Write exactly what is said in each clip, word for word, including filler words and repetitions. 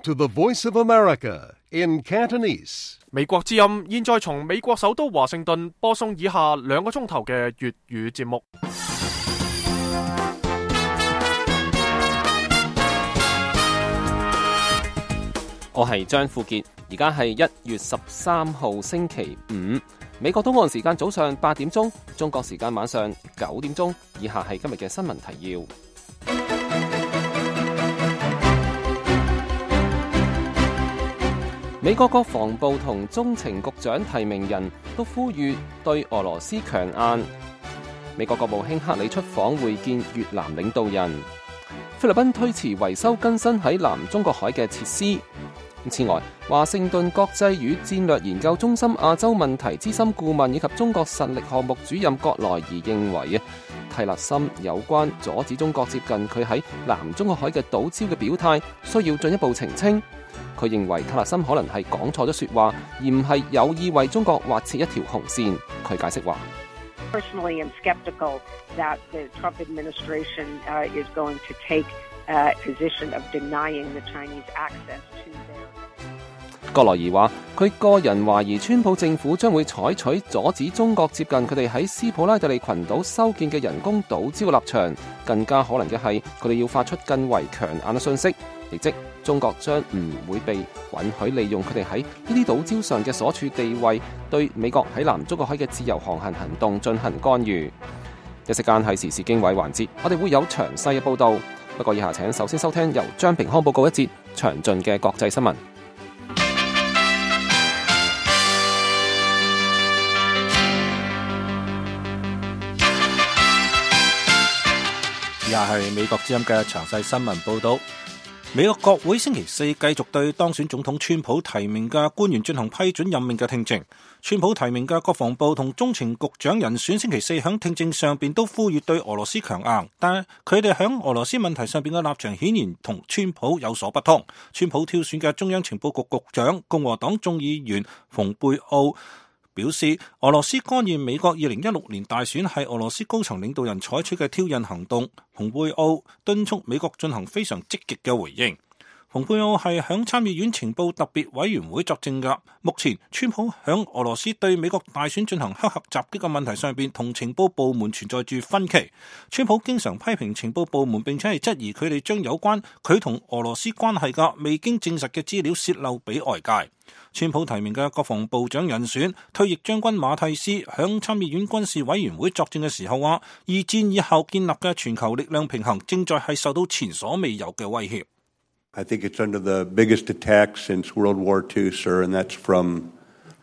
to the Voice of America in Cantonese. 美國之音現在從美國首都華盛頓播送以下兩個鐘頭嘅粵語節目。我係張富傑，而家係一月十三號星期五，美國東岸時間早上八點鐘，中國時間晚上九點鐘。以下係今日嘅新聞提要。美國國防部同中情局長提名人都呼籲對俄羅斯強硬。美國國務卿克里出訪會見越南領導人。菲律賓推遲維修更新喺南中國海嘅設施。此外，華盛頓國際與戰略研究中心亞洲問題資深顧問以及中國實力項目主任葛萊儀認為啊，蒂勒森有關阻止中國接近佢喺南中國海嘅島礁嘅表態需要進一步澄清。佢認為蒂勒森可能係講錯咗說話，而唔係有意為中國劃設一條紅線。佢解釋話：Personally, I'm skeptical that the Trump administration uh, is going to take a position of denying the Chinese access to their。葛萊儀話：佢個人懷疑川普政府將會採取阻止中國接近佢哋喺斯普拉特利群島修建嘅人工島礁嘅立場，更加可能嘅係佢哋要發出更為強硬嘅訊息，亦即中國將唔會被允許利用佢哋喺呢啲島礁上嘅所處地位，對美國喺南中國海嘅自由航行行動進行干預。一息間係時事經緯環節，我哋會有詳細嘅報導。不過以下請首先收聽由張平康報告一節詳盡嘅國際新聞。以下係美國之音嘅詳細新聞報道。美國國會星期四繼續對當選總統川普提名嘅官員進行批准任命嘅聽證。川普提名嘅國防部同中情局長人選星期四響聽證上邊都呼籲對俄羅斯強硬，但係佢哋響俄羅斯問題上邊嘅立場顯然同川普有所不同。川普挑選嘅中央情報局局長共和黨眾議員蓬佩奧表示，俄羅斯干預美國二零一六年大選係俄羅斯高層領導人採取嘅挑釁行動。蓬佩奧敦促美國進行非常積極嘅回應。蓬佩奧係響參議院情報特別委員會作證㗎。目前川普響俄羅斯對美國大選進行黑客襲擊嘅問題上邊，同情報部門存在住分歧。川普經常批評情報部門，並且係質疑佢哋將有關佢同俄羅斯關係嘅未經證實嘅資料洩漏俾外界。川普提名嘅國防部長人選退役將軍馬蒂斯響參議院軍事委員會作證嘅時候話，二戰以後建立嘅全球力量平衡正在係受到前所未有嘅威脅。I think it's under the biggest attack since World War Two, sir, and that's from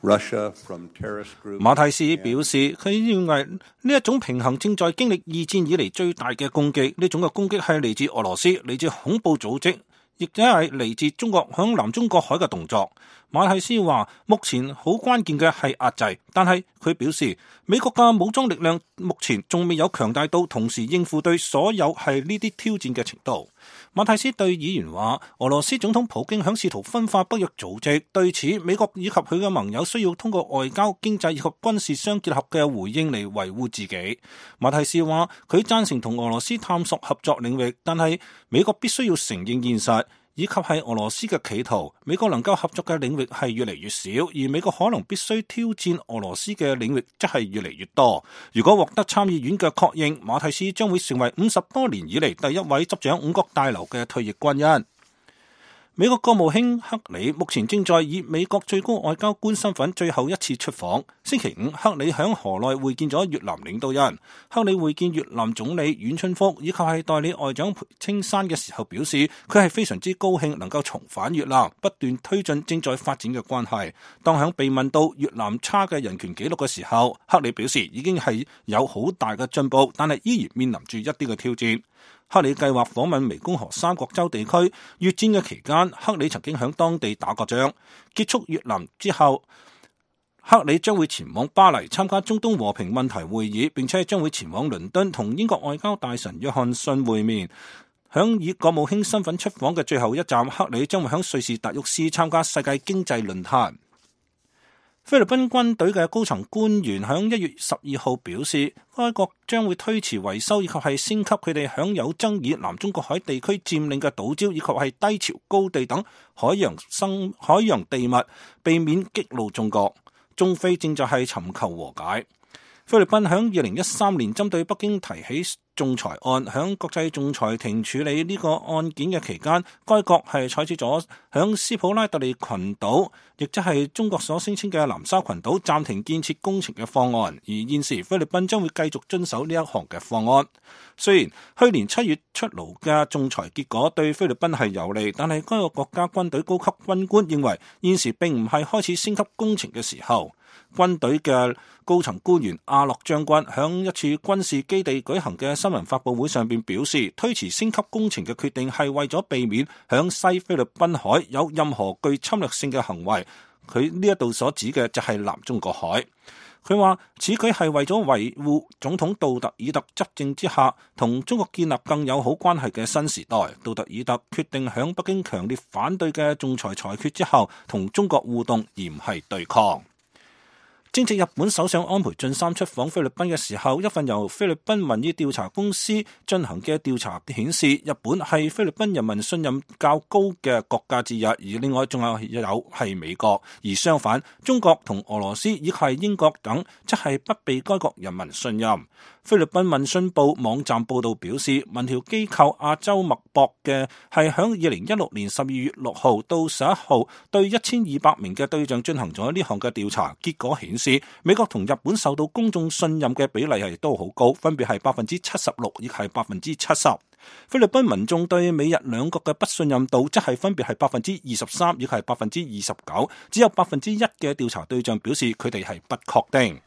Russia, from terrorist groups. 馬蒂斯表示，佢認為呢一種平衡正在經歷二戰以嚟最大嘅攻擊，呢種嘅攻擊係嚟自俄羅斯，嚟自恐怖組織，亦都係嚟自中國響南中國海嘅動作。馬蒂斯話，目前好關鍵嘅係壓制，但係佢表示，美國嘅武裝力量目前仲未有強大到同時應付對所有係呢啲挑戰嘅程度。馬蒂斯對議員話，俄羅斯總統普京響試圖分化北約組織，對此美國以及佢嘅盟友需要通過外交、經濟以及軍事相結合嘅回應嚟維護自己。馬蒂斯話，佢贊成同俄羅斯探索合作領域，但係美國必須要承認現實，以及係俄羅斯嘅企圖，美國能夠合作嘅領域係越嚟越少，而美國可能必須挑戰俄羅斯嘅領域則係越嚟越多。如果獲得參議院嘅確認，馬蒂斯將會成為五十多年以嚟第一位執掌五角大樓嘅退役軍人。美國國務卿克里目前正在以美國最高外交官身份最後一次出訪。星期五，克里響河內會見咗越南領導人。克里會見越南總理阮春福以及係代理外長裴青山嘅時候表示，佢係非常之高興能夠重返越南，不斷推進正在發展嘅關係。當響被問到越南差嘅人權紀錄嘅時候，克里表示已經係有好大嘅進步，但係依然面臨住一啲嘅挑戰。克里計劃訪問湄公河三角洲地區。越戰嘅期間，克里曾經響當地打過仗。結束越南之後，克里將會前往巴黎參加中東和平問題會議，並且將會前往倫敦同英國外交大臣約翰遜會面。響以國務卿身份出訪嘅最後一站，克里將會響瑞士達沃斯參加世界經濟論壇。菲律賓軍隊嘅高層官員響一月十二號表示，該國將會推遲維修以及係升級佢哋享有爭議南中國海地區佔領嘅島礁以及係低潮高地等海洋生海洋地物，避免激怒中國。中菲正在係尋求和解。菲律賓響二零一三年針對北京提起仲裁案，響國際仲裁庭處理呢個案件嘅期間，該國係採取咗響斯普拉特利群島，亦即係中國所聲稱嘅南沙群島暫停建設工程嘅方案。而現時菲律賓將會繼續遵守呢一項嘅方案。雖然去年七月出爐嘅仲裁結果對菲律賓係有利，但係該個國家軍隊高級軍官認為現時並唔係開始升級工程嘅時候。軍隊嘅高層官員阿洛將軍響一次軍事基地舉行嘅新聞發佈會上邊表示，推遲升級工程嘅決定係為咗避免響西菲律賓海有任何具侵略性嘅行為。佢呢一度所指嘅就係南中國海。佢話此舉係為咗維護總統杜特爾特執政之下同中國建立更友好關係嘅新時代。杜特爾特決定響北京強烈反對嘅仲裁裁決之後同中國互動，而唔係對抗。正值日本首相安倍晉三出訪菲律賓嘅時候，一份由菲律賓民意調查公司進行嘅調查顯示，日本係菲律賓人民信任較高嘅國家之一，而另外仲有有係美國，而相反，中國同俄羅斯以及係英國等則係不被該國人民信任。菲律賓民訊報網站報道表示，民調機構亞洲脈搏嘅係響二零一六年十二月六號到十一號對一千二百名嘅對象進行咗呢項嘅調查，結果顯示美國同日本受到公眾信任嘅比例係都好高，分別係百分之七十六，亦係百分之七十。菲律賓民眾對美日兩國嘅不信任度則係分別係百分之二十三，亦係百分之二十九，只有百分之一嘅調查對象表示佢哋係不確定。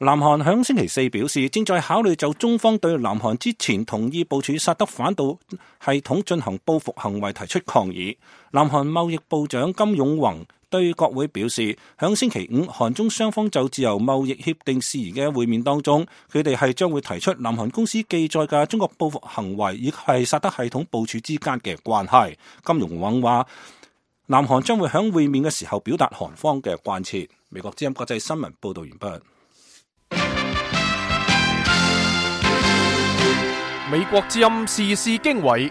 南韓響星期四表示，正在考慮就中方對南韓之前同意部署薩德反導系統進行報復行為提出抗議。南韓貿易部長金永宏對國會表示，響星期五韓中雙方就自由貿易協定事宜嘅會面當中，佢哋係將會提出南韓公司記載嘅中國報復行為以及係薩德系統部署之間嘅關係。金永宏話，南韓將會響會面嘅時候表達韓方嘅關切。美國之音國際新聞報道完畢。美國之音時事經緯，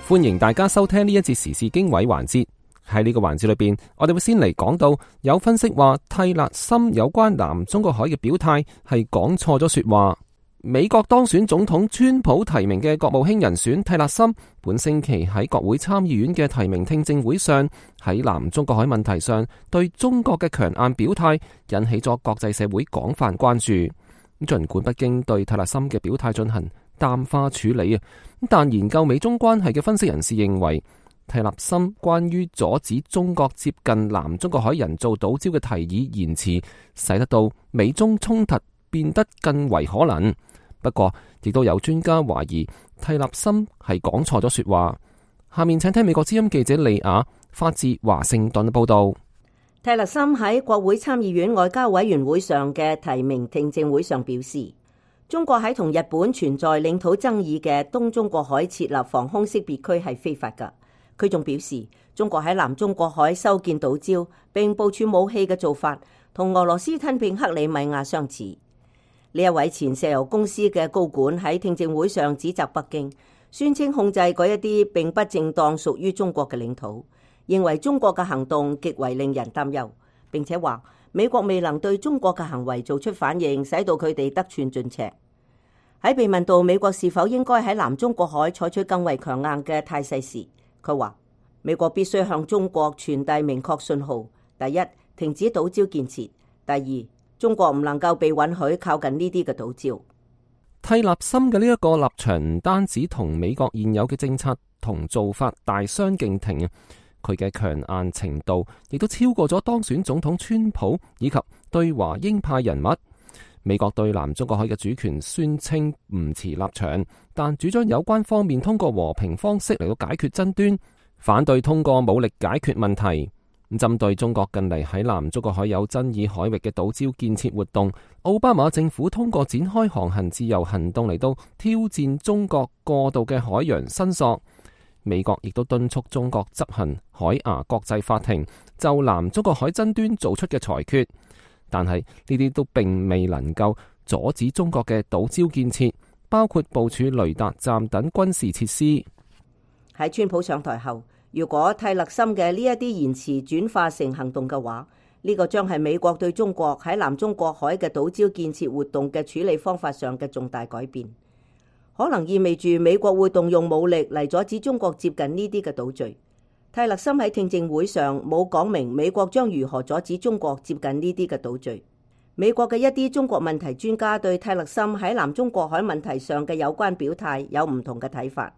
歡迎大家收聽呢一節時事經緯環節。喺呢個環節裏邊，我哋會先嚟講到有分析話蒂勒森有關南中國海嘅表態係講錯咗說話。美國當選總統川普提名嘅國務卿人選蒂勒森，本星期喺國會參議院嘅提名聽證會上，喺南中國海問題上對中國嘅強硬表態，引起咗國際社會廣泛關注。儘管北京對蒂勒森嘅表態進行淡化處理啊，但研究美中關係嘅分析人士認為，蒂勒森關於阻止中國接近南中國海人造島礁嘅提議言辭，使得到美中衝突變得更為可能。不過，亦都有專家懷疑蒂勒森係講錯咗說話。下面請聽美國之音記者利亞發自華盛頓嘅報道。蒂勒森喺國會參議院外交委員會上嘅提名聽證會上表示，中國喺同日本存在領土爭議嘅東中國海設立防空識別區係非法㗎。佢仲表示，中國喺南中國海修建島礁並部署武器嘅做法，同俄羅斯吞併克里米亞相似。呢一位前石油公司嘅高管喺聽證會上指責北京，宣稱控制嗰一啲並不正當屬於中國嘅領土，認為中國嘅行動極為令人擔憂，並且話美國未能對中國嘅行為做出反應，使到佢哋得寸進尺。喺被問到美國是否應該喺南中國海採取更為強硬嘅態勢時，佢話美國必須向中國傳遞明確信號：第一，停止島礁建設；第二，中國唔能夠被允許靠近呢啲嘅島礁。蒂勒森嘅呢一個立場唔單止同美國現有嘅政策同做法大相徑庭啊，佢嘅強硬程度亦都超過咗當選總統川普以及對華鷹派人物。美國對南中國海嘅主權宣稱唔持立場，但主張有關方面通過和平方式嚟到解決爭端，反對通過武力解決問題。針對中國近嚟喺南中國海有爭議海域嘅島礁建設活動，奧巴馬政府通過展開航行自由行動嚟到挑戰中國過度嘅海洋申索。美國亦都敦促中國執行海牙國際法庭就南中國海爭端做出嘅裁決，但係呢啲都並未能夠阻止中國嘅島礁建設，包括部署雷達站等軍事設施。喺川普上台後，如果泰勒森嘅呢一啲言辭轉化成行動嘅話，呢、這個將係美國對中國喺南中國海嘅島礁建設活動嘅處理方法上嘅重大改變，可能意味住美國會動用武力嚟阻止中國接近呢啲嘅島嶼。泰勒森喺聽證會上冇講明美國將如何阻止中國接近呢啲嘅島嶼。美國嘅一啲中國問題專家對泰勒森喺南中國海問題上嘅有關表態有唔同嘅睇法。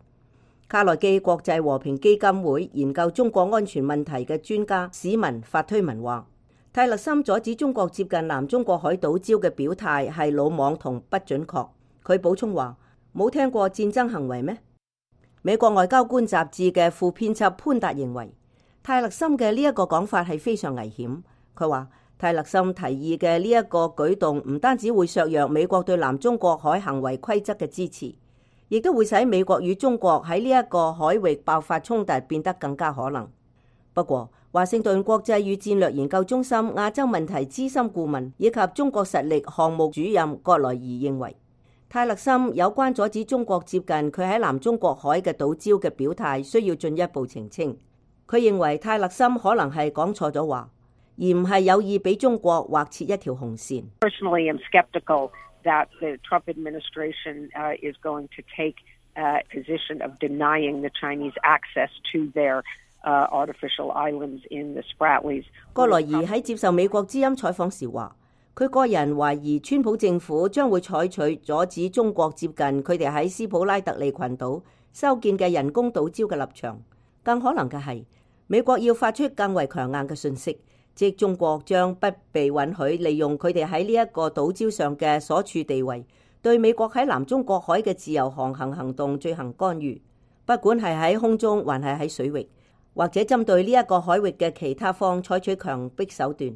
卡內基國際和平基金會研究中國安全問題嘅專家史文發推文話，泰勒森阻止中國接近南中國海島礁嘅表態係魯莽同不準確。佢補充話，冇聽過戰爭行為咩？美國外交官雜誌嘅副編輯潘達認為，泰勒森嘅呢一個講法係非常危險。佢話，泰勒森提議嘅呢一個舉動唔單止會削弱美國對南中國海行為規則嘅支持，亦都會使美國與中國喺呢一個海域爆發衝突變得更加可能。不過，華盛頓國際與戰略研究中心亞洲問題資深顧問以及中國實力項目主任葛萊儀認為，泰勒森有關阻止中國接近佢喺南中國海嘅島礁嘅表態需要進一步澄清。佢認為泰勒森可能係講錯咗話，而唔係有意俾中國劃設一條紅線。Personally, I'm skeptical that the Trump administration uh, is going to take a position of denying the Chinese access to their uh, artificial islands in the Spratlys. 葛萊儀喺接受美國之音採訪時話，佢個人懷疑川普政府將會採取阻止中國接近佢哋喺斯普拉特利群島修建嘅人工島礁嘅立場。更可能嘅係，美國要發出更為強硬嘅訊息，即中國將不被允許利用佢哋喺呢一個島礁上嘅所處地位，對美國喺南中國海嘅自由航行行動進行干預，不管係喺空中還係喺水域，或者針對呢一個海域嘅其他方採取強迫手段。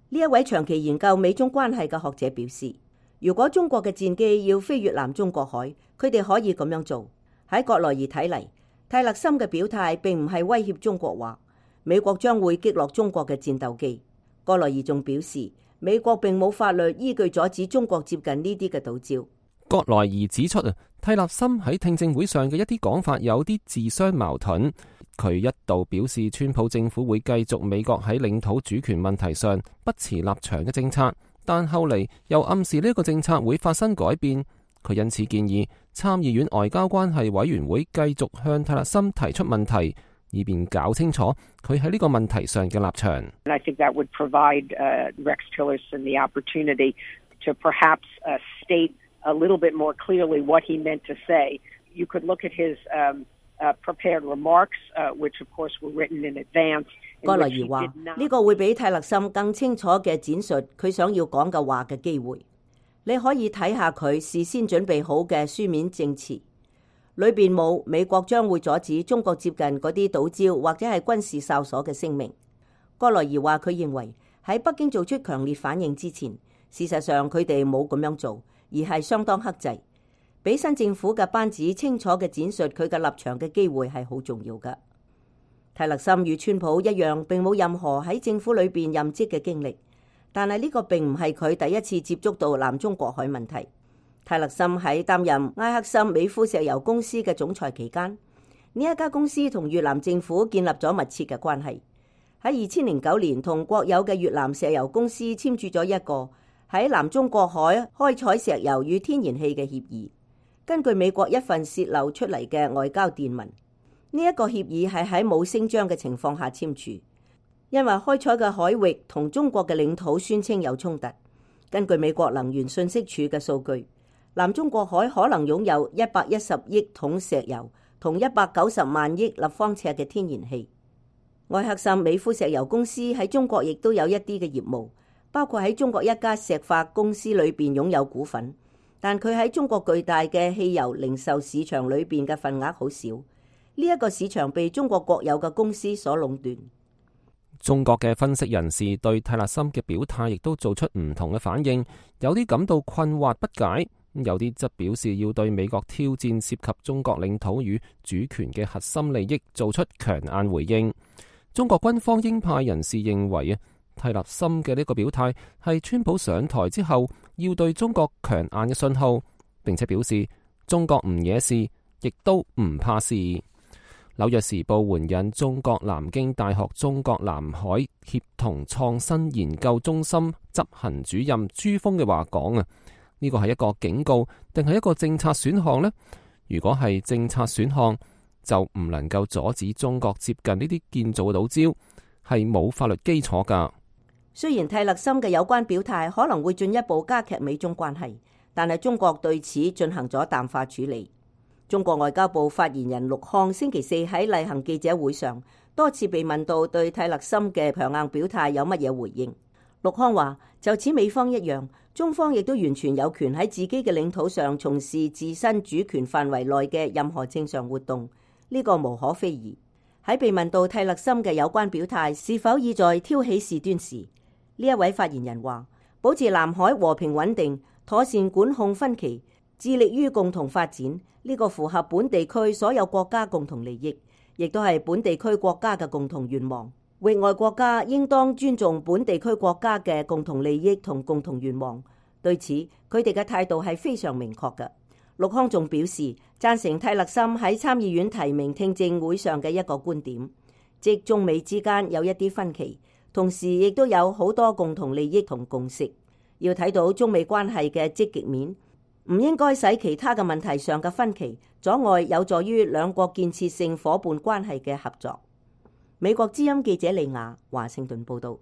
呢一位長期研究美中關係嘅學者表示，如果中國嘅戰機要飛越南中國海，佢哋可以咁樣做。喺葛萊儀睇嚟，泰勒森嘅表態並唔係威脅中國話美國將會擊落中國嘅戰鬥機。葛萊儀仲表示，美國並冇法律依據阻止中國接近呢啲嘅島礁。葛萊儀指出啊，泰勒森喺聽證會上嘅一啲講法有啲自相矛盾。佢一度表示川普政府會繼續美國喺領土主權問題上不持立場嘅政策，但後嚟又暗示呢個政策會發生改變。佢因此建議參議院外交關係委員會繼續向泰勒森提出問題，以便搞清楚佢喺呢個問題上嘅立場。I think that would provide uh, Rex Tillerson the opportunity to perhaps uh, state a little bit more clearly what he meant to say. You could look at his um, uh, prepared remarks, uh, which of course were written in advance. 葛萊儀話：呢個會俾泰勒森更清楚嘅展述佢想要講嘅話嘅機會。你可以睇下佢事先準備好嘅書面證詞，裏邊冇美國將會阻止中國接近嗰啲島礁或者係軍事哨所嘅聲明。葛萊儀話佢認為喺北京做出強烈反應之前，事實上佢哋冇咁樣做，而係相當克制。俾新政府嘅班子清楚嘅展述佢嘅立場嘅機會係好重要㗎。泰勒森與川普一樣，並冇任何喺政府裏邊任職嘅經歷，但係呢個並唔係佢第一次接觸到南中國海問題。泰勒森喺擔任埃克森美孚石油公司嘅總裁期間，呢一家公司同越南政府建立咗密切嘅關係。喺二千零九年，同國有嘅越南石油公司簽署咗一個喺南中國海開採石油與天然氣嘅協議。根據美國一份洩漏出嚟嘅外交電文，呢一個協議係喺冇聲張嘅情況下簽署，因為開採嘅海域同中國嘅領土宣稱有衝突。根據美國能源信息署嘅數據，南中國海可能擁有一百一十億桶石油同一百九十萬億立方尺嘅天然氣。埃克森美孚石油公司喺中國亦都有一啲嘅業務，包括喺中國一家石化公司裏邊擁有股份，但佢喺中國巨大嘅汽油零售市場裏邊嘅份額好少。呢一個市場被中國國有嘅公司所壟斷。中國嘅分析人士對泰勒森嘅表態亦都做出唔同嘅反應，有啲感到困惑不解，有啲則表示要對美國挑戰涉及中國領土與主權嘅核心利益做出強硬回應。中國軍方鷹派人士認為啊，蒂勒森嘅呢個表態係川普上台之後要對中國強硬嘅信號，並且表示中國唔惹事，亦都唔怕事。紐約時報援引中國南京大學中國南海協同創新研究中心執行主任朱峰嘅話講啊，呢個係一個警告定係一個政策選項呢？如果係政策選項，就唔能夠阻止中國接近呢啲建造嘅島礁，係冇法律基礎噶。雖然蒂勒森嘅有關表態可能會進一步加劇美中關係，但係中國對此進行咗淡化處理。中國外交部發言人陸康星期四喺例行記者會上多次被問到對蒂勒森嘅強硬表態有乜嘢回應。陸康話：就此美方一樣，中方亦都完全有權喺自己嘅領土上從事自身主權範圍內嘅任何正常活動，呢個無可非議。喺被問到蒂勒森嘅有關表態是否意在挑起事端時，呢一位發言人話：保持南海和平穩定，妥善管控分歧，致力於共同發展，呢個符合本地區所有國家共同利益，亦都係本地區國家嘅共同願望。域外國家應當尊重本地區國家嘅共同利益同共同願望。對此，佢哋嘅態度係非常明確嘅。陸康仲表示贊成蒂勒森喺參議院提名聽證會上嘅一個觀點，即中美之間有一啲分歧，同時亦都有好多共同利益同共識。要睇到中美關係嘅積極面，唔應該使其他嘅問題上嘅分歧阻礙有助於兩國建設性夥伴關係嘅合作。美國之音記者利亞華盛頓報道。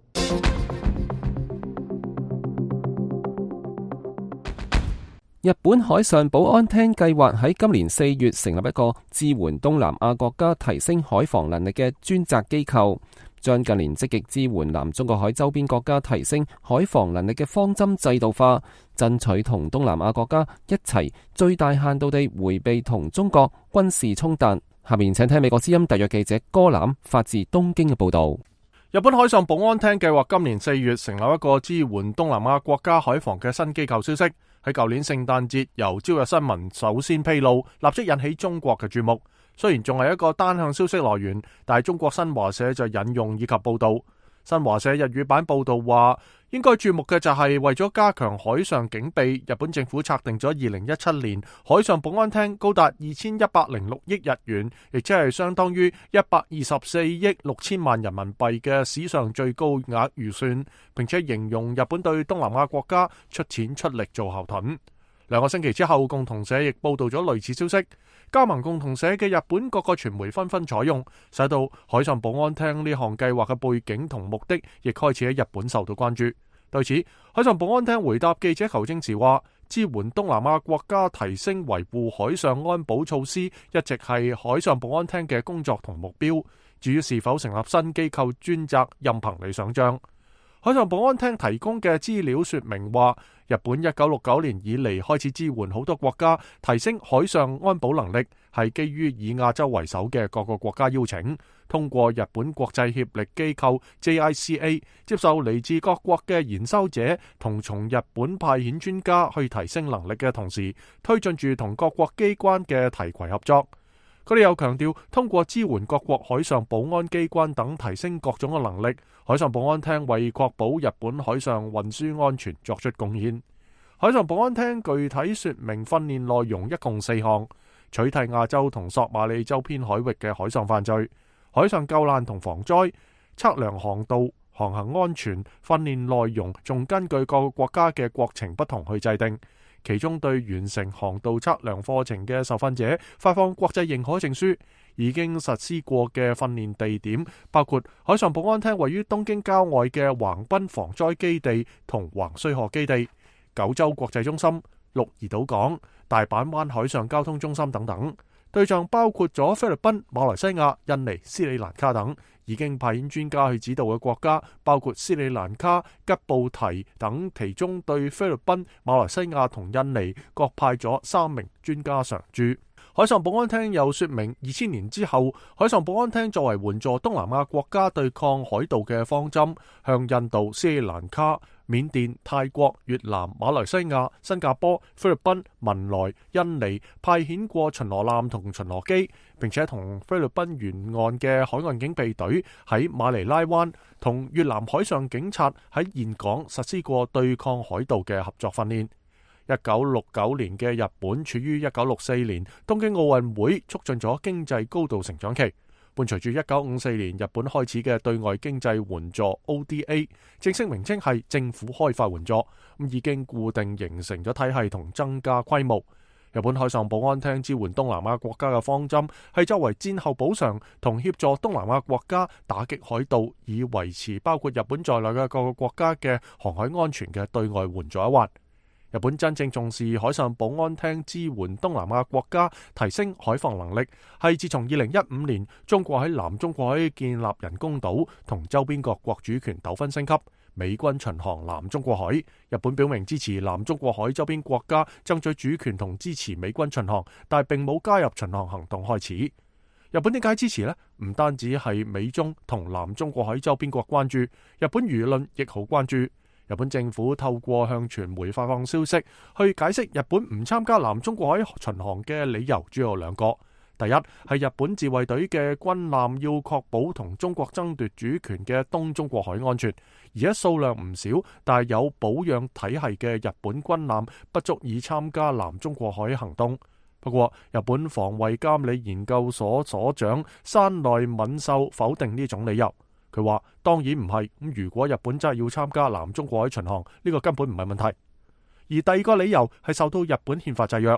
日本海上保安廳計劃喺今年四月成立一個支援東南亞國家提升海防能力嘅專責機構，將近年積極支援南中國海周邊國家提升海防能力嘅方針制度化，爭取同東南亞國家一齊最大限度地迴避同中國軍事衝突。下面請聽美國之音特約記者戈攬發自東京嘅報道。日本海上保安廳計劃今年四月成立一個支援東南亞國家海防嘅新機構，消息喺舊年聖誕節由朝日新聞首先披露，立即引起中國嘅注目。雖然仲係一個單向消息來源，但係中國新華社就引用以及報道。新華社日語版報道話，應該注目嘅就係為咗加強海上警備，日本政府策定咗二零一七年海上保安廳高達二千一百零六億日元，亦即係相當於一百二十四億六千萬人民幣嘅史上最高額預算，並且形容日本對東南亞國家出錢出力做後盾。兩個星期之後，共同社亦報道咗類似消息。加盟共同社嘅日本各個傳媒紛紛採用，使到海上保安廳呢項計劃嘅背景同目的亦開始喺日本受到關注。對此，海上保安廳回答記者求證時話，支援東南亞國家提升維護海上安保措施一直係海上保安廳嘅工作同目標，至於是否成立新機構專責，任憑你想象。海上保安廳提供嘅資料說明話，日本一九六九年以嚟開始支援好多國家提升海上安保能力，係基於以亞洲為首嘅各個國家邀請，通過日本國際協力機構 J I C A 接受嚟自各國嘅研修者同從日本派遣專家去提升能力嘅同時，推進住同各國機關嘅提攜合作。佢哋又強調，通過支援各國海上保安機關等提升各種嘅能力，海上保安廳為確保日本海上運輸安全作出貢獻。海上保安廳具體說明訓練內容一共四項：取締亞洲同索馬里周邊海域嘅海上犯罪、海上救難同防災、測量航道、航行安全。訓練內容仲根據各個國家嘅國情不同去制定。其中對完成航道測量課程嘅受訓者發放國際認可證書。已經實施過嘅訓練地點包括海上保安廳位於東京郊外嘅橫濱防災基地同橫須賀基地、九州國際中心、鹿兒島港、大阪灣海上交通中心等等。對象包括咗菲律賓、馬來西亞、印尼、斯里蘭卡等。已經派遣專家去指導嘅國家包括斯里蘭卡、吉布提等，其中對菲律賓、馬來西亞同印尼各派咗三名專家常駐。海上保安廳又說明，二千年之後，海上保安廳作為援助東南亞國家對抗海盜嘅方針，向印度、斯里蘭卡、緬甸、泰國、越南、馬來西亞、新加坡、菲律賓、文萊、印尼派遣過巡邏艦同巡邏機，並且同菲律賓沿岸嘅海岸警備隊喺馬尼拉灣同越南海上警察喺峴港實施過對抗海盜嘅合作訓練。一九六九年嘅日本處於一九六四年東京奧運會促進咗經濟高度成長期，伴隨住一九五四年日本開始嘅對外經濟援助 O D A， 正式名稱係政府開發援助，咁已經固定形成咗體系同增加規模。日本海上保安廳支援東南亞國家嘅方針係作為戰後補償同協助東南亞國家打擊海盜，以維持包括日本在內嘅各個國家嘅航海安全嘅對外援助一環。日本真正重視海上保安廳支援東南亞國家提升海防能力，係自從二零一五年中國喺南中國海建立人工島同周邊各國主權糾紛升級，美軍巡航南中國海，日本表明支持南中國海周邊國家爭取主權同支持美軍巡航，但係並冇加入巡航行動開始。日本點解支持呢？唔單止係美中同南中國海周邊國關注，日本輿論亦好關注。日本政府透過向傳媒發放消息，去解釋日本唔參加南中國海巡航嘅理由主要有兩個。第一係日本自衛隊嘅軍艦要確保同中國爭奪主權嘅東中國海安全，而且數量唔少，但係有保養體系嘅日本軍艦不足以參加南中國海行動。不過，日本防衛監理研究所所長山內敏秀否定呢種理由。佢話當然唔係，咁如果日本真係要參加南中國海巡航，呢個根本唔係問題。而第二個理由係受到日本憲法制約，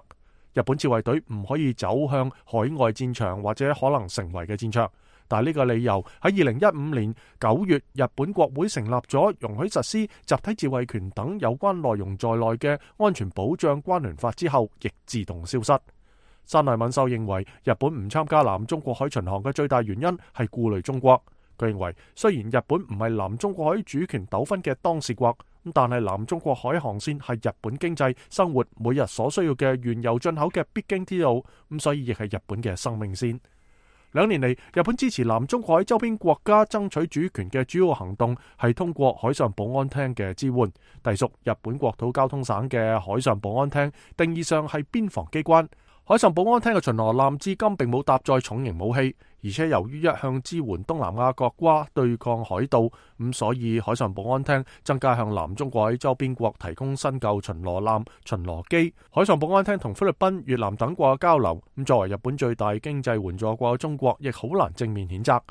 日本自衛隊唔可以走向海外戰場或者可能成為嘅戰場。但係呢個理由喺二零一五年九月，日本國會成立咗容許實施集體自衛權等有關內容在內嘅安全保障關聯法之後，亦自動消失。山內敏秀認為，日本唔參加南中國海巡航嘅最大原因係顧慮中國。佢認為，雖然日本唔係南中國海主權糾紛嘅當事國，但係南中國海航線係日本經濟生活每日所需要嘅原油進口嘅必經之路，咁所以亦係日本嘅生命線。兩年嚟，日本支持南中國海周邊國家爭取主權嘅主要行動係通過海上保安廳嘅支援，隸屬日本國土交通省嘅海上保安廳，定義上係邊防機關。海上保安廳嘅巡邏艦至今並冇搭載重型武器，而且由於一向支援東南亞國家對抗海盜，咁所以海上保安廳增加向南中國海周邊國提供新舊巡邏艦、巡邏機。海上保安廳同菲律賓、越南等國嘅交流，咁作為日本最大經濟援助國嘅中國，亦好難正面譴責。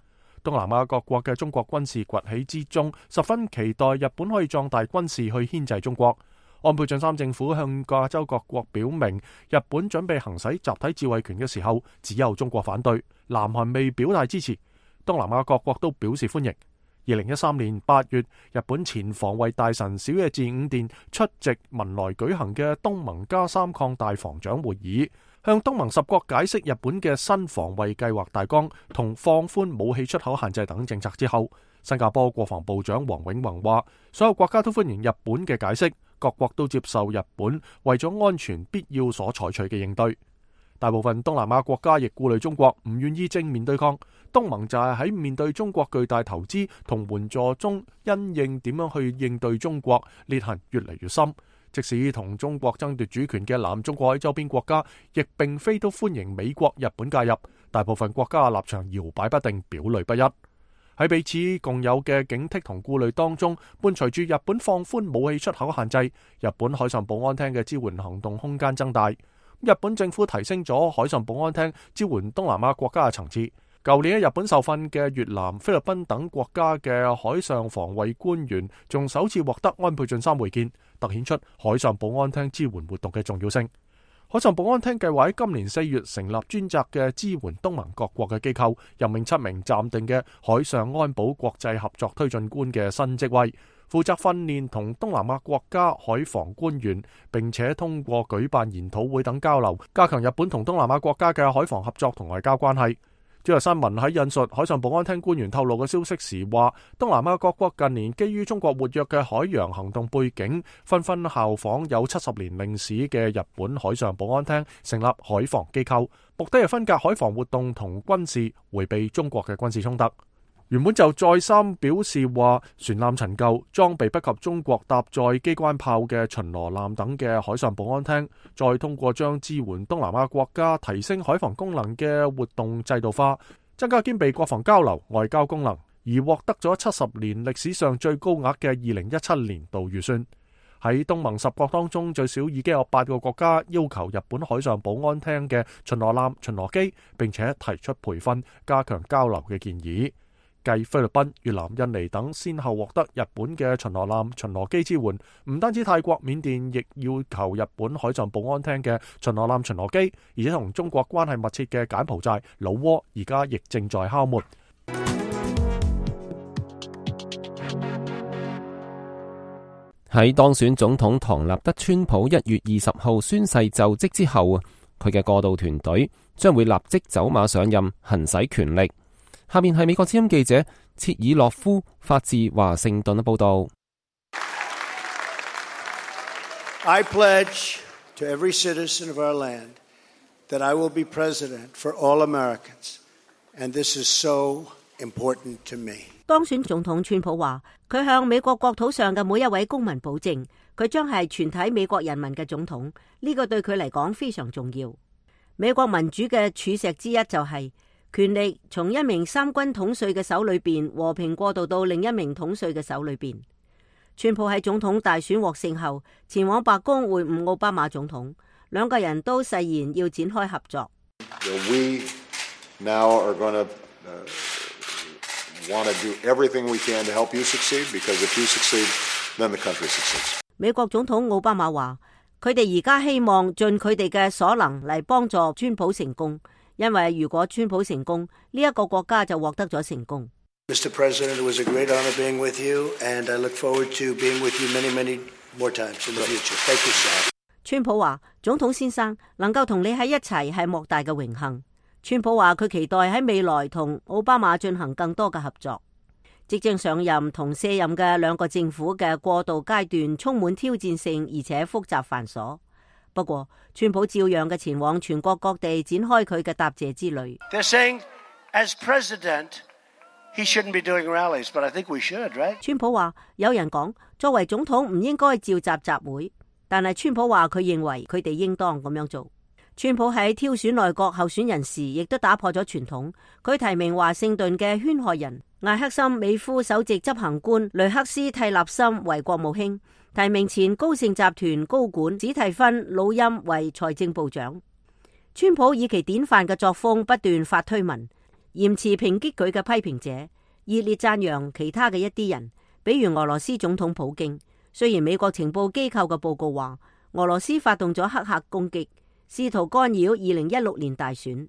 東南亞各國嘅中國軍事崛起之中，十分期待日本可以壯大軍事去牽制中國。安倍晉三政府向亞洲各國表明，日本準備行使集體自衛權嘅時候，只有中國反對，南韓未表態支持，東南亞各國都表示歡迎。二零一三年八月，日本前防衛大臣小野寺五殿出席文萊舉行嘅東盟加三擴大防長會議，向東盟十國解釋日本嘅新防衛計劃大綱同放寬武器出口限制等政策之後，新加坡國防部長黃永宏話，所有國家都歡迎日本嘅解釋，各國都接受日本為咗安全必要所採取嘅應對。大部分東南亞國家亦顧慮中國，唔願意正面對抗。東盟就係喺面對中國巨大投資同援助中，因應點樣去應對中國，裂痕越嚟越深。即使同中國爭奪主權嘅南中國海周邊國家，亦並非都歡迎美國、日本介入。大部分國家嘅立場搖擺不定，表裏不一。喺彼此共有嘅警惕同顧慮當中，伴隨住日本放寬武器出口限制，日本海上保安廳嘅支援行動空間增大。日本政府提升咗海上保安廳支援東南亞國家嘅層次。舊年喺日本受訓嘅越南、菲律賓等國家嘅海上防衛官員，仲首次獲得安倍晉三會見，凸顯出海上保安廳支援活動嘅重要性。海上保安廳計劃喺今年四月成立專責嘅支援東盟各國嘅機構，任命七名暫定嘅海上安保國際合作推進官嘅新職位，負責訓練同東南亞國家海防官員，並且通過舉辦研討會等交流，加強日本同東南亞國家嘅海防合作同外交關係。朝日新聞喺引述海上保安廳官員透露嘅消息時話，東南亞各國近年基於中國活躍嘅海洋行動背景，紛紛效仿有七十年歷史嘅日本海上保安廳，成立海防機構，目的係分隔海防活動同軍事，迴避中國嘅軍事衝突。原本就再三表示話，船艦陳舊、裝備不及中國搭載機關炮嘅巡邏艦等嘅海上保安廳，再通過將支援東南亞國家提升海防功能嘅活動制度化，增加兼備國防交流、外交功能，而獲得咗七十年歷史上最高額嘅二零一七年度預算。喺東盟十國當中，最少已經有八個國家要求日本海上保安廳嘅巡邏艦、巡邏機，並且提出培訓、加強交流嘅建議。繼菲律賓、越南、印尼等先後獲得日本嘅巡邏艦、巡邏機支援，唔單止泰國、緬甸亦要求日本海上保安廳嘅巡邏艦、巡邏機，而且同中國關係密切嘅柬埔寨、老撾而家亦正在敲門。喺當選總統唐納德川普一月二十號宣誓就職之後，佢嘅過渡團隊將會立即走馬上任，行使權力。下面係美國之音記者切爾諾夫發自華盛頓嘅報道。I pledge to every citizen of our land that I will be president for all Americans, and this is so important to me. 當選總統川普話，佢向美國國土上嘅每一位公民保證，佢將係全體美國人民嘅總統。呢個對佢嚟講非常重要。美國民主嘅柱石之一就係權力從一名三軍統帥嘅手裏邊和平過渡到另一名統帥嘅手裏邊。川普喺總統大選獲勝後，前往白宮會晤奧巴馬總統，兩個人都誓言要展開合作。We now are going to want to do everything we can to help you succeed, because if you succeed, then the country succeeds. 美國總統奧巴馬話，佢哋而家希望盡佢哋嘅所能嚟幫助川普成功。因為如果川普成功，呢一個國家就獲得咗成功。Mister President, it was a great honor being with you, and I look forward to being with you many, many more times in the future. Thank you, sir. 川普話：總統先生，能夠同你喺一齊係莫大嘅榮幸。川普話佢期待喺未來同奧巴馬進行更多嘅合作。即將上任同卸任嘅兩個政府嘅過渡階段充滿挑戰性，而且複雜繁瑣。不過，川普照樣嘅前往全國各地展開佢嘅答謝之旅。They're saying, as president, he shouldn't be doing rallies, but I think we should, right? 川普話：有人講作為總統唔應該召集集會，但係川普話佢認為佢哋應當咁樣做。川普喺挑選內閣候選人時，亦都打破咗傳統。佢提名華盛頓嘅圈害人艾克森美孚首席執行官雷克斯蒂納森為國務卿。提名前高盛集團高管史蒂芬魯欽為財政部長。川普以其典範嘅作風不斷發推文，嚴詞抨擊佢嘅批評者，熱烈讚揚其他嘅一啲人，比如俄羅斯總統普京。雖然美國情報機構嘅報告話俄羅斯發動咗黑客攻擊，試圖干擾二零一六年大選。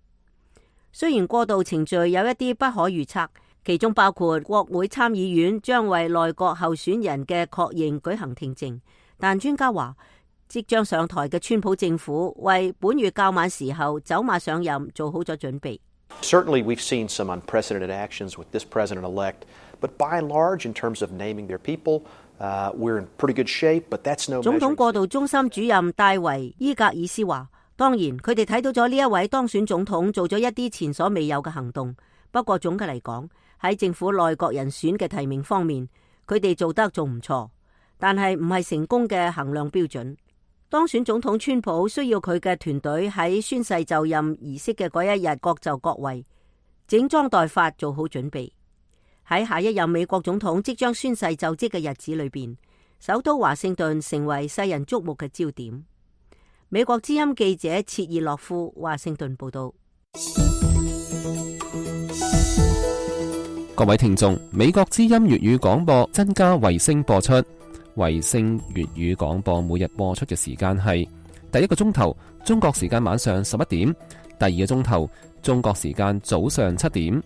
雖然過渡程序有一啲不可預測，其中包括國會參議院將為內閣候選人嘅確認舉行聽證，但專家話，即將上台嘅川普政府為本月較晚時候走馬上任做好咗準備。Certainly we've seen some unprecedented actions with this president-elect, but by and large, in terms of naming their people, uh, we're in pretty good shape, but that's no measure. 總統過渡中心主任戴維伊格爾斯話，當然佢哋睇到咗呢一位當選總統做咗一啲前所未有嘅行動，不過總嘅嚟講，喺政府內閣人選嘅提名方面，佢哋做得仲唔錯，但係唔係成功嘅衡量標準。當選總統川普需要佢嘅團隊喺宣誓就任儀式嘅嗰一日各就各位，整裝待發做好準備。喺下一任美國總統即將宣誓就職嘅日子裏邊，首都華盛頓成為世人矚目嘅焦點。美國之音記者切爾諾夫華盛頓報道。各位聽眾，美國之音粵語廣播增加衛星播出。衛星粵語廣播每日播出嘅時間係第一個鐘頭中國時間晚上十一點，第二個鐘頭中國時間早上七點。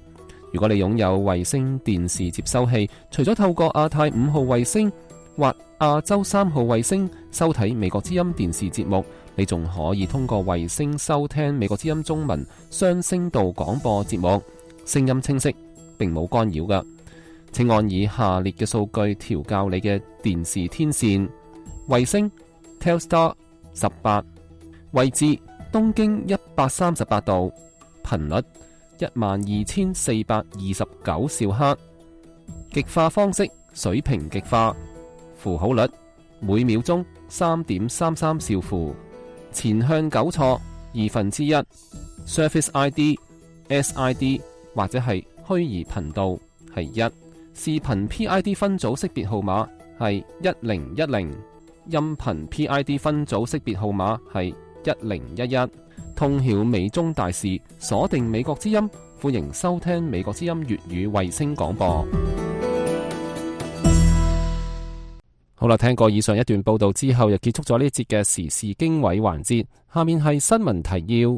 如果你擁有衛星電視接收器，除咗透過亞太五號衛星或亞洲三號衛星收睇美國之音電視節目，你仲可以通過衛星收聽美國之音中文雙聲道廣播節目。聲音清晰，並冇干擾㗎。請按以下列嘅數據調校你嘅電視天線：衛星 Telstar 十八，位置東經一百三十八度，頻率一萬二千四百二十九兆赫，極化方式水平極化，符號率每秒鐘三點三三兆符，前向糾錯二分之一 ，Service I D S I D 或者係虛擬頻道係一，視頻 P I D 分組識別號碼係一零一零，音頻 P I D 分組識別號碼係一零一一。通曉美中大事，鎖定美國之音，歡迎收聽美國之音粵語衛星廣播。好啦，聽過以上一段報道之後，又結束咗呢節嘅時事經緯環節。下面係新聞提要。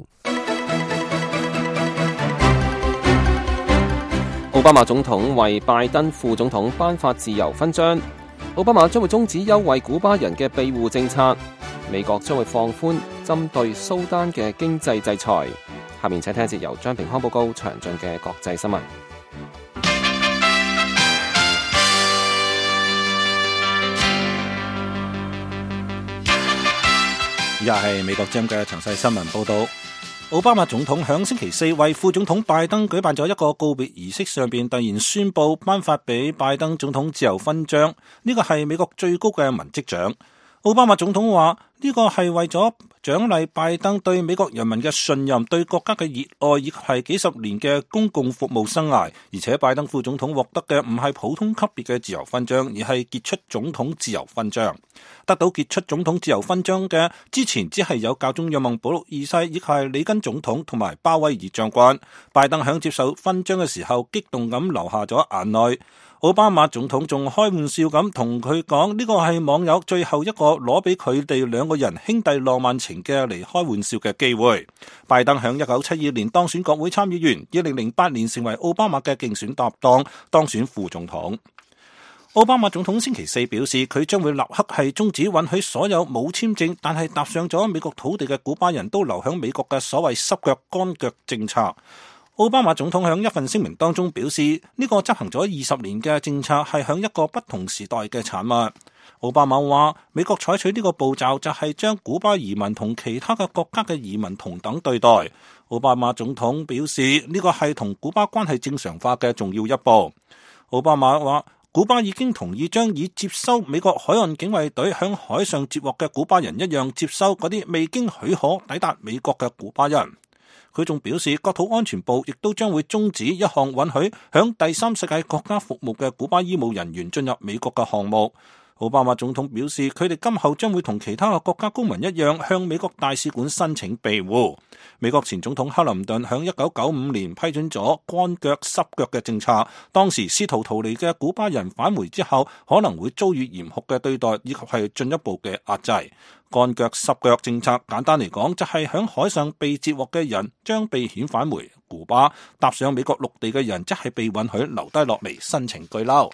奧巴馬總統為拜登副總統頒發自由勳章。奧巴馬將會終止優惠古巴人嘅庇護政策。美國將會放寬針對蘇丹嘅經濟制裁。下面請聽一節由張平康報告詳盡嘅國際新聞。以下係美國之音嘅詳細新聞報道。奧巴馬總統響星期四為副總統拜登舉辦咗一個告別儀式，上邊突然宣布頒發俾拜登總統自由勳章，呢個係美國最高嘅文職獎。奧巴馬總統話呢個係為咗獎勵拜登對美國人民嘅信任、對國家嘅熱愛以及係幾十年嘅公共服務生涯。而且拜登副總統獲得嘅唔係普通級別嘅自由勳章，而係傑出總統自由勳章。得到傑出總統自由勳章嘅之前只係有教宗若望保祿二世以及係里根總統同埋鮑威爾將軍。拜登響接受勳章嘅時候激動咁流下咗眼淚。奧巴馬總統仲開玩笑咁同佢講，呢個係網友最後一個攞俾佢哋兩個人兄弟浪漫情嘅嚟開玩笑嘅機會。拜登響一九七二年當選國會參議員，二零零八年成為奧巴馬嘅競選搭檔，當選副總統。奧巴馬總統星期四表示，佢將會立刻係終止允許所有冇簽證但係踏上咗美國土地嘅古巴人都留響美國嘅所謂濕腳乾腳政策。奧巴馬總統喺一份聲明當中表示，呢個執行咗二十年嘅政策係喺一個不同時代嘅產物。奧巴馬話，美國採取呢個步驟就係將古巴移民同其他嘅國家嘅移民同等對待。奧巴馬總統表示，呢個係同古巴關係正常化嘅重要一步。奧巴馬話，古巴已經同意將以接收美國海岸警衛隊響海上接獲嘅古巴人一樣接收嗰啲未經許可抵達美國嘅古巴人。佢仲表示，國土安全部亦都將會終止一項允許響第三世界國家服務嘅古巴醫務人員進入美國嘅項目。奧巴馬總統表示，佢哋今後將會同其他嘅國家公民一樣向美國大使館申請庇護。美國前總統克林頓響一九九五年批准咗乾腳濕腳嘅政策，當時試圖逃離嘅古巴人返回之後可能會遭遇嚴酷嘅對待以及係進一步嘅壓制。乾腳濕腳政策簡單嚟講就係響海上被截獲嘅人將被遣返回古巴，踏上美國陸地嘅人則係被允許留低落嚟申請居留。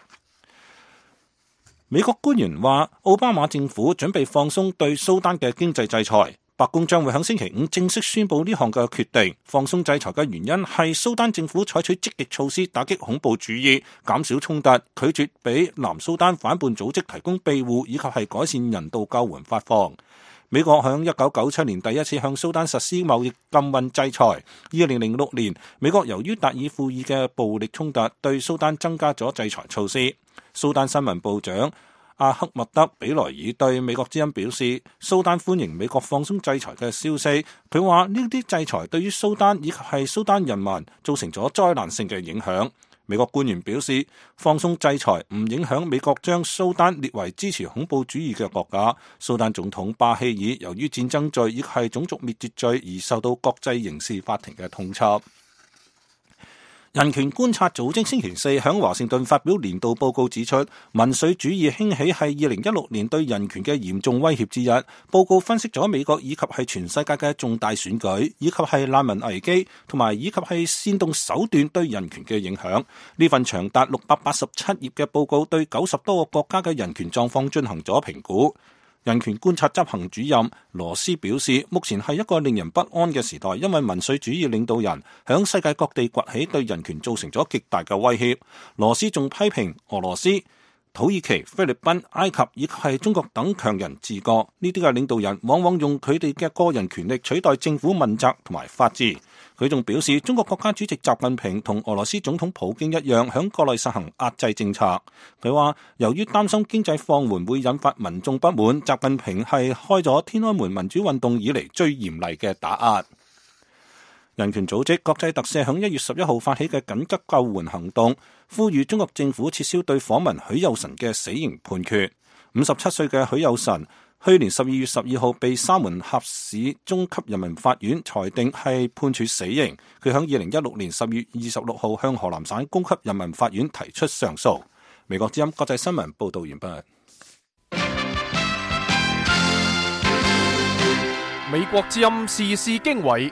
美國官員話，奧巴馬政府準備放鬆對蘇丹嘅經濟制裁。白宮將會喺星期五正式宣布呢項嘅決定。放鬆制裁嘅原因係蘇丹政府採取積極措施打擊恐怖主義，減少衝突，拒絕俾南蘇丹反叛組織提供庇護，以及係改善人道救援發放。美國響一九九七年第一次向蘇丹實施貿易禁運制裁。二零零六年，美國由於達爾富爾嘅暴力衝突，對蘇丹增加咗制裁措施。蘇丹新聞部長阿克默德比萊爾對美國之音表示，蘇丹歡迎美國放鬆制裁嘅消息。佢話呢啲制裁對於蘇丹以及係蘇丹人民造成咗災難性嘅影響。美國官員表示，放鬆制裁唔影響美國將蘇丹列為支持恐怖主義嘅國家。蘇丹總統巴希爾由於戰爭罪以及係種族滅絕罪而受到國際刑事法庭嘅通緝。人權觀察組織星期四響華盛頓發表年度報告，指出民粹主義興起係二零一六年對人權嘅嚴重威脅之一。報告分析咗美國以及係全世界嘅重大選舉，以及係難民危機，同埋以及係煽動手段對人權嘅影響。呢份長達六百八十七頁嘅報告對九十多個國家嘅人權狀況進行咗評估。人權觀察執行主任羅斯表示，目前係一個令人不安嘅時代，因為民粹主義領導人響世界各地崛起，對人權造成咗極大嘅威脅。羅斯仲批評俄羅斯、土耳其、菲律賓、埃及以及係中國等強人治國，呢啲嘅領導人往往用佢哋嘅個人權力取代政府問責同埋法治。佢仲表示，中國國家主席習近平同俄羅斯總統普京一樣，響國內實行壓制政策。佢話，由於擔心經濟放緩會引發民眾不滿，習近平係開咗天安門民主運動以嚟最嚴厲嘅打壓。人權組織國際特赦響一月十一號發起嘅緊急救援行動，呼籲中國政府撤銷對訪民許有臣嘅死刑判決。五十七歲嘅許有臣去年十二月十二號被沙門峽市中級人民法院裁定係判處死刑。佢響二零一六年十月二十六號向河南省高級人民法院提出上訴。美國之音國際新聞報道完畢。美國之音時事經緯，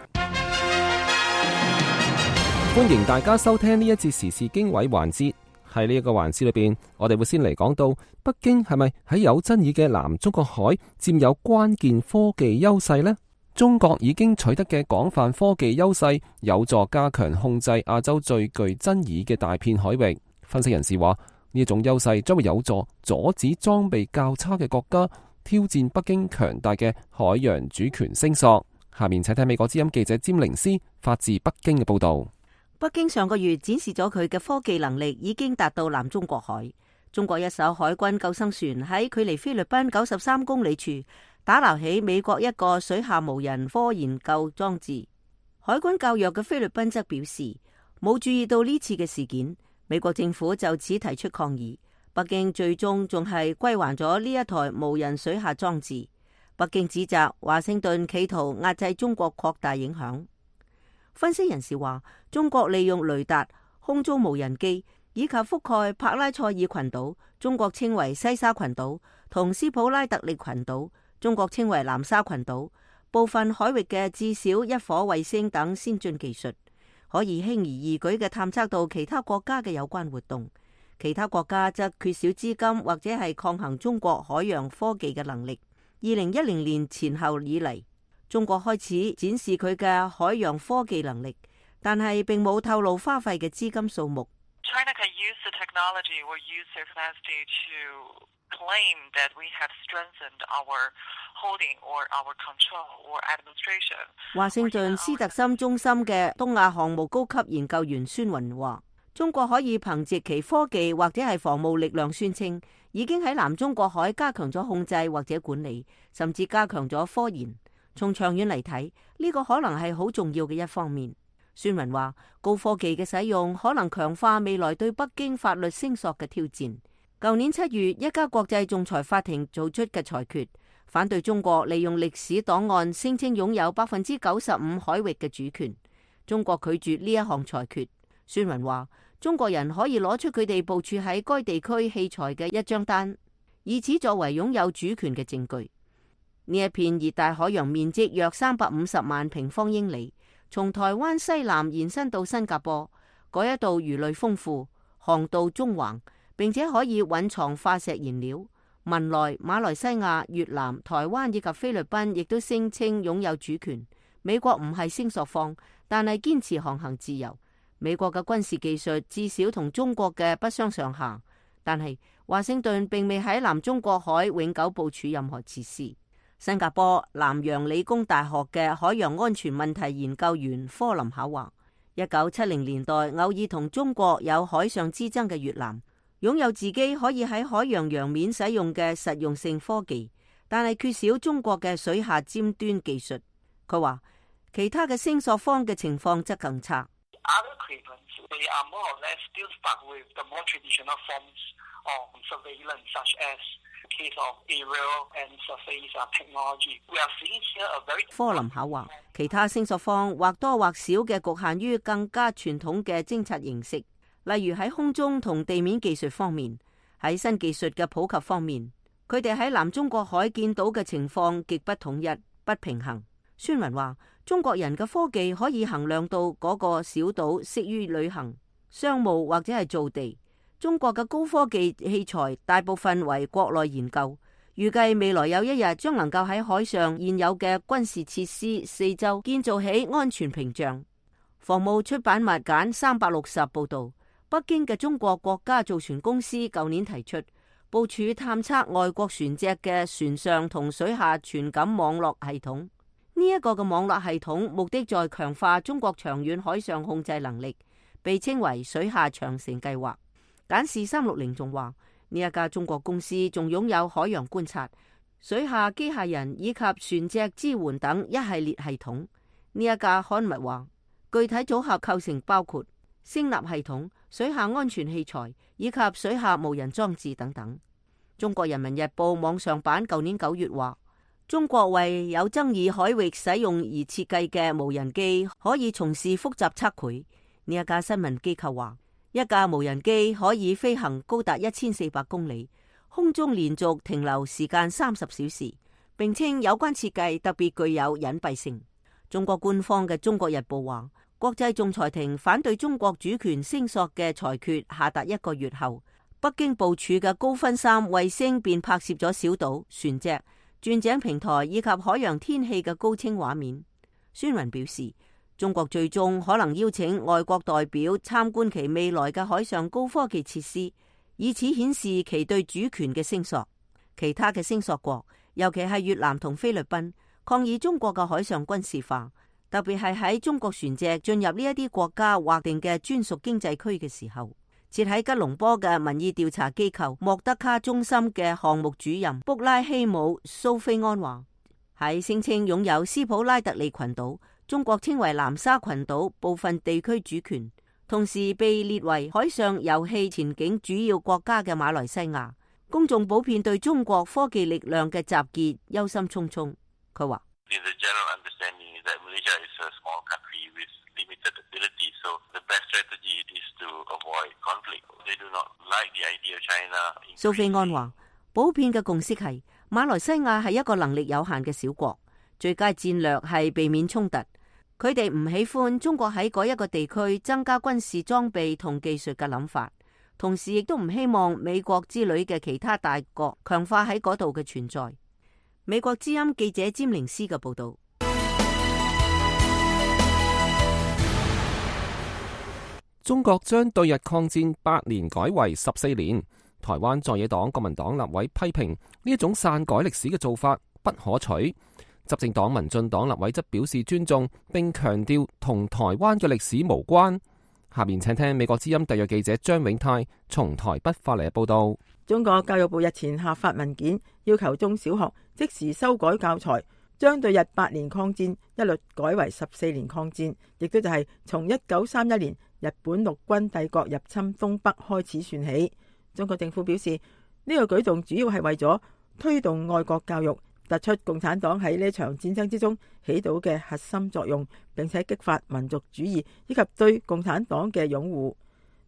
歡迎大家收聽呢一節時事經緯環節。喺呢一個環節裏邊，我哋會先嚟講到北京係咪喺有爭議嘅南中國海佔有關鍵科技優勢呢？中國已經取得嘅廣泛科技優勢，有助加強控制亞洲最具爭議嘅大片海域。分析人士話，呢一種優勢將會有助阻止裝備較差嘅國家挑戰北京強大嘅海洋主權聲索。下面請睇美國之音記者詹寧斯發自北京嘅報道。北京上個月展示咗佢嘅科技能力已經達到南中國海。中國一艘海軍救生船喺距離菲律賓九十三公里處打撈起美國一個水下無人科研究裝置。海軍較弱嘅菲律賓則表示冇注意到呢次嘅事件，美國政府就此提出抗議。北京最終仲係歸還咗呢一台無人水下裝置。北京指責華盛頓企圖壓制中國擴大影響。分析人士話，中國利用雷達、空中無人機以及覆蓋帕拉塞爾群島，中國稱為西沙群島，同斯普拉特利群島，中國稱為南沙群島，部分海域嘅至少一顆衛星等先進技術，可以輕而易舉嘅探測到其他國家嘅有關活動。其他國家則缺少資金或者係抗衡中國海洋科技嘅能力。二零一零年前後以嚟，中國開始展示佢嘅海洋科技能力，但係並冇透露花費嘅資金數目。China can use the technology or use their capacity to claim that we have strengthened our holding or our control or administration. 華盛頓斯特森中心嘅東亞項目高級研究員孫雲話，中國可以憑借其科技或者係防務力量宣稱，已經喺南中國海加強咗控制或者管理，甚至加強咗科研。從長遠嚟睇，呢個可能係好重要嘅一方面。孫雲話，高科技嘅使用可能強化未來對北京法律聲索嘅挑戰。舊年七月，一家國際仲裁法庭做出嘅裁決，反對中國利用歷史檔案聲稱擁有百分之九十五海域嘅主權。中國拒絕呢一項裁決。孫雲話，中國人可以攞出佢哋部署喺該地區器材嘅一張單，以此作為擁有主權嘅證據。呢一片熱帶海洋面積約三百五十萬平方英里，從台灣西南延伸到新加坡，嗰一度魚類豐富，航道縱橫，並且可以蘊藏化石燃料。文萊、馬來西亞、越南、台灣以及菲律賓亦都聲稱擁有主權。美國唔係聲索方，但係堅持航行自由。美國嘅軍事技術至少同中國嘅不相上下，但係華盛頓並未喺南中國海永久部署任何設施。新加坡南洋理工大學嘅海洋安全問題研究員科林考話，一九七零年代偶爾同中國有海上之爭嘅越南，擁有自己可以喺海洋洋面使用嘅實用性科技，但係缺少中國嘅水下尖端技術。佢話其他嘅聲索方嘅情況則更差。科林考話，其他聲索方或多或少嘅局限於更加傳統嘅偵察形式，例如喺空中同地面技術方面。喺新技術嘅普及方面，佢哋喺南中國海見到嘅情況極不統一、不平衡。孫雲話，中國人嘅科技可以衡量到嗰個小島適於旅行、商務或者係造地。中國嘅高科技器材大部分為國內研究，預計未來有一日將能夠喺海上現有嘅軍事設施四周建造起安全屏障。防務出版物簡三百六十報道，北京嘅中國國家造船公司舊年提出部署探測外國船隻嘅船上同水下傳感網絡系統。呢、這、一個嘅網絡系統目的在強化中國長遠海上控制能力，被稱為水下長城計劃。簡視三六零仲話，呢一家中國公司仲擁有海洋觀察、水下機械人以及船隻支援等一系列系統。呢一家刊物話，具體組合構成包括聲納系統、水下安全器材以及水下無人裝置等等。中國人民日報網上版舊年九月話，中國為有爭議海域使用而設計嘅無人機可以從事複雜測繪。呢一家新聞機構話，一架無人機可以飛行高達一千四百公里，空中連續停留時間三十小時，並稱有關設計特別具有隱蔽性。中國官方嘅《中國日報》話，國際仲裁庭反對中國主權聲索嘅裁決下達一個月後，北京部署嘅高分三衛星便拍攝咗小島、船隻、鑽井平台以及海洋天氣嘅高清畫面。孫雲表示，中國最終可能邀請外國代表參觀其未來嘅海上高科技設施，以此顯示其對主權嘅聲索。其他嘅聲索國，尤其係越南同菲律賓，抗議中國嘅海上軍事化，特別係喺中國船隻進入呢一啲國家劃定嘅專屬經濟區嘅時候。設喺吉隆坡嘅民意調查機構莫德卡中心嘅項目主任卜拉希姆蘇菲安話，喺聲稱擁有斯普拉特利群島，中國稱為南沙群島部分地區主權，同時被列為海上油氣前景主要國家嘅馬來西亞，公眾普遍對中國科技力量嘅集結憂心忡忡。佢話，蘇菲安話，普遍嘅共識係馬來西亞係一個能力有限嘅小國，最佳戰略係避免衝突。佢哋唔喜歡中國喺嗰一個地區增加軍事裝備同技術嘅諗法，同時亦都唔希望美國之類嘅其他大國強化喺嗰度嘅存在。美國之音記者詹寧斯嘅報道。中國將對日抗戰八年改為十四年，台灣在野黨國民黨立委批評呢一種篡改歷史嘅做法不可取。執政黨民進黨立委則表示尊重，並強調同台灣嘅歷史無關。下面請聽美國之音特約記者張永泰從台北發嚟嘅報道。中國教育部日前下發文件，要求中小學即時修改教材，將對日八年抗戰一律改為十四年抗戰，亦都就係從一九三一年日本陸軍帝國入侵東北開始算起。中國政府表示，呢個舉動主要係為咗推動愛國教育，突出共產黨喺呢場戰爭之中起到嘅核心作用，並且激發民族主義以及對共產黨嘅擁護。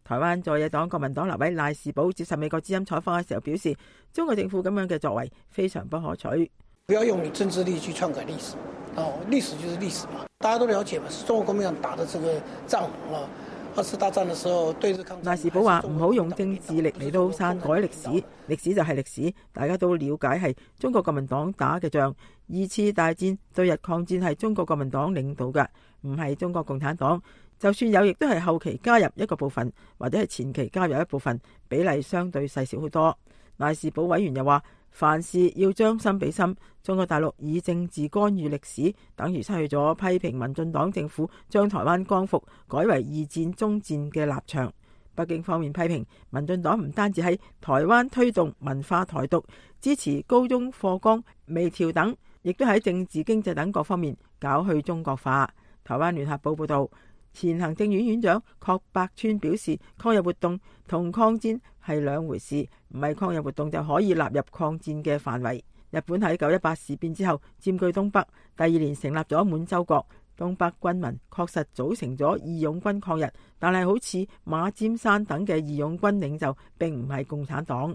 台灣在野黨國民黨立委賴士葆接受美國之音採訪嘅時候表示，中國政府咁樣嘅作為非常不可取。不要用你政治力去篡改歷史，哦，歷史就是歷史嘛，大家都了解嘛，是中國國民黨打的這個仗啊。二次大戰的時候，對日抗戰。賴士葆話唔好用政治力嚟到篡改歷史，歷史就係歷史，大家都了解係中國國民黨打嘅仗。二次大戰對日抗戰係中國國民黨領導嘅，唔係中國共產黨。就算有，亦都係後期加入一個部分，或者係前期加入一部分，比例相對細小好多。賴士葆委員又話，凡事要將心比心，中國大陸以政治干預歷史，等於失去咗批評民進黨政府將台灣光復改為二戰終戰嘅立場。北京方面批評民進黨唔單止喺台灣推動文化台獨，支持高中課綱微調等，亦都喺政治經濟等各方面搞去中國化。台灣聯合報報道，前行政院院長郝柏村表示，抗日活動同抗戰係兩回事，唔係抗日活動就可以納入抗戰嘅範圍。日本喺九一八事變之後佔據東北，第二年成立咗滿洲國，東北軍民確實組成咗義勇軍抗日，但係好似馬占山等嘅義勇軍領袖並唔係共產黨。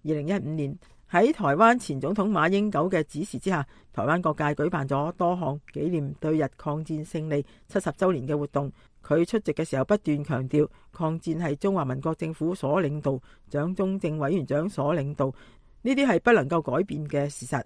二零一五年喺台灣前總統馬英九嘅指示之下，台灣各界舉辦咗多項紀念對日抗戰勝利七十週年嘅活動。佢出席嘅時候不斷強調，抗戰係中華民國政府所領導，蔣中正委員長所領導，呢啲係不能夠改變嘅事實。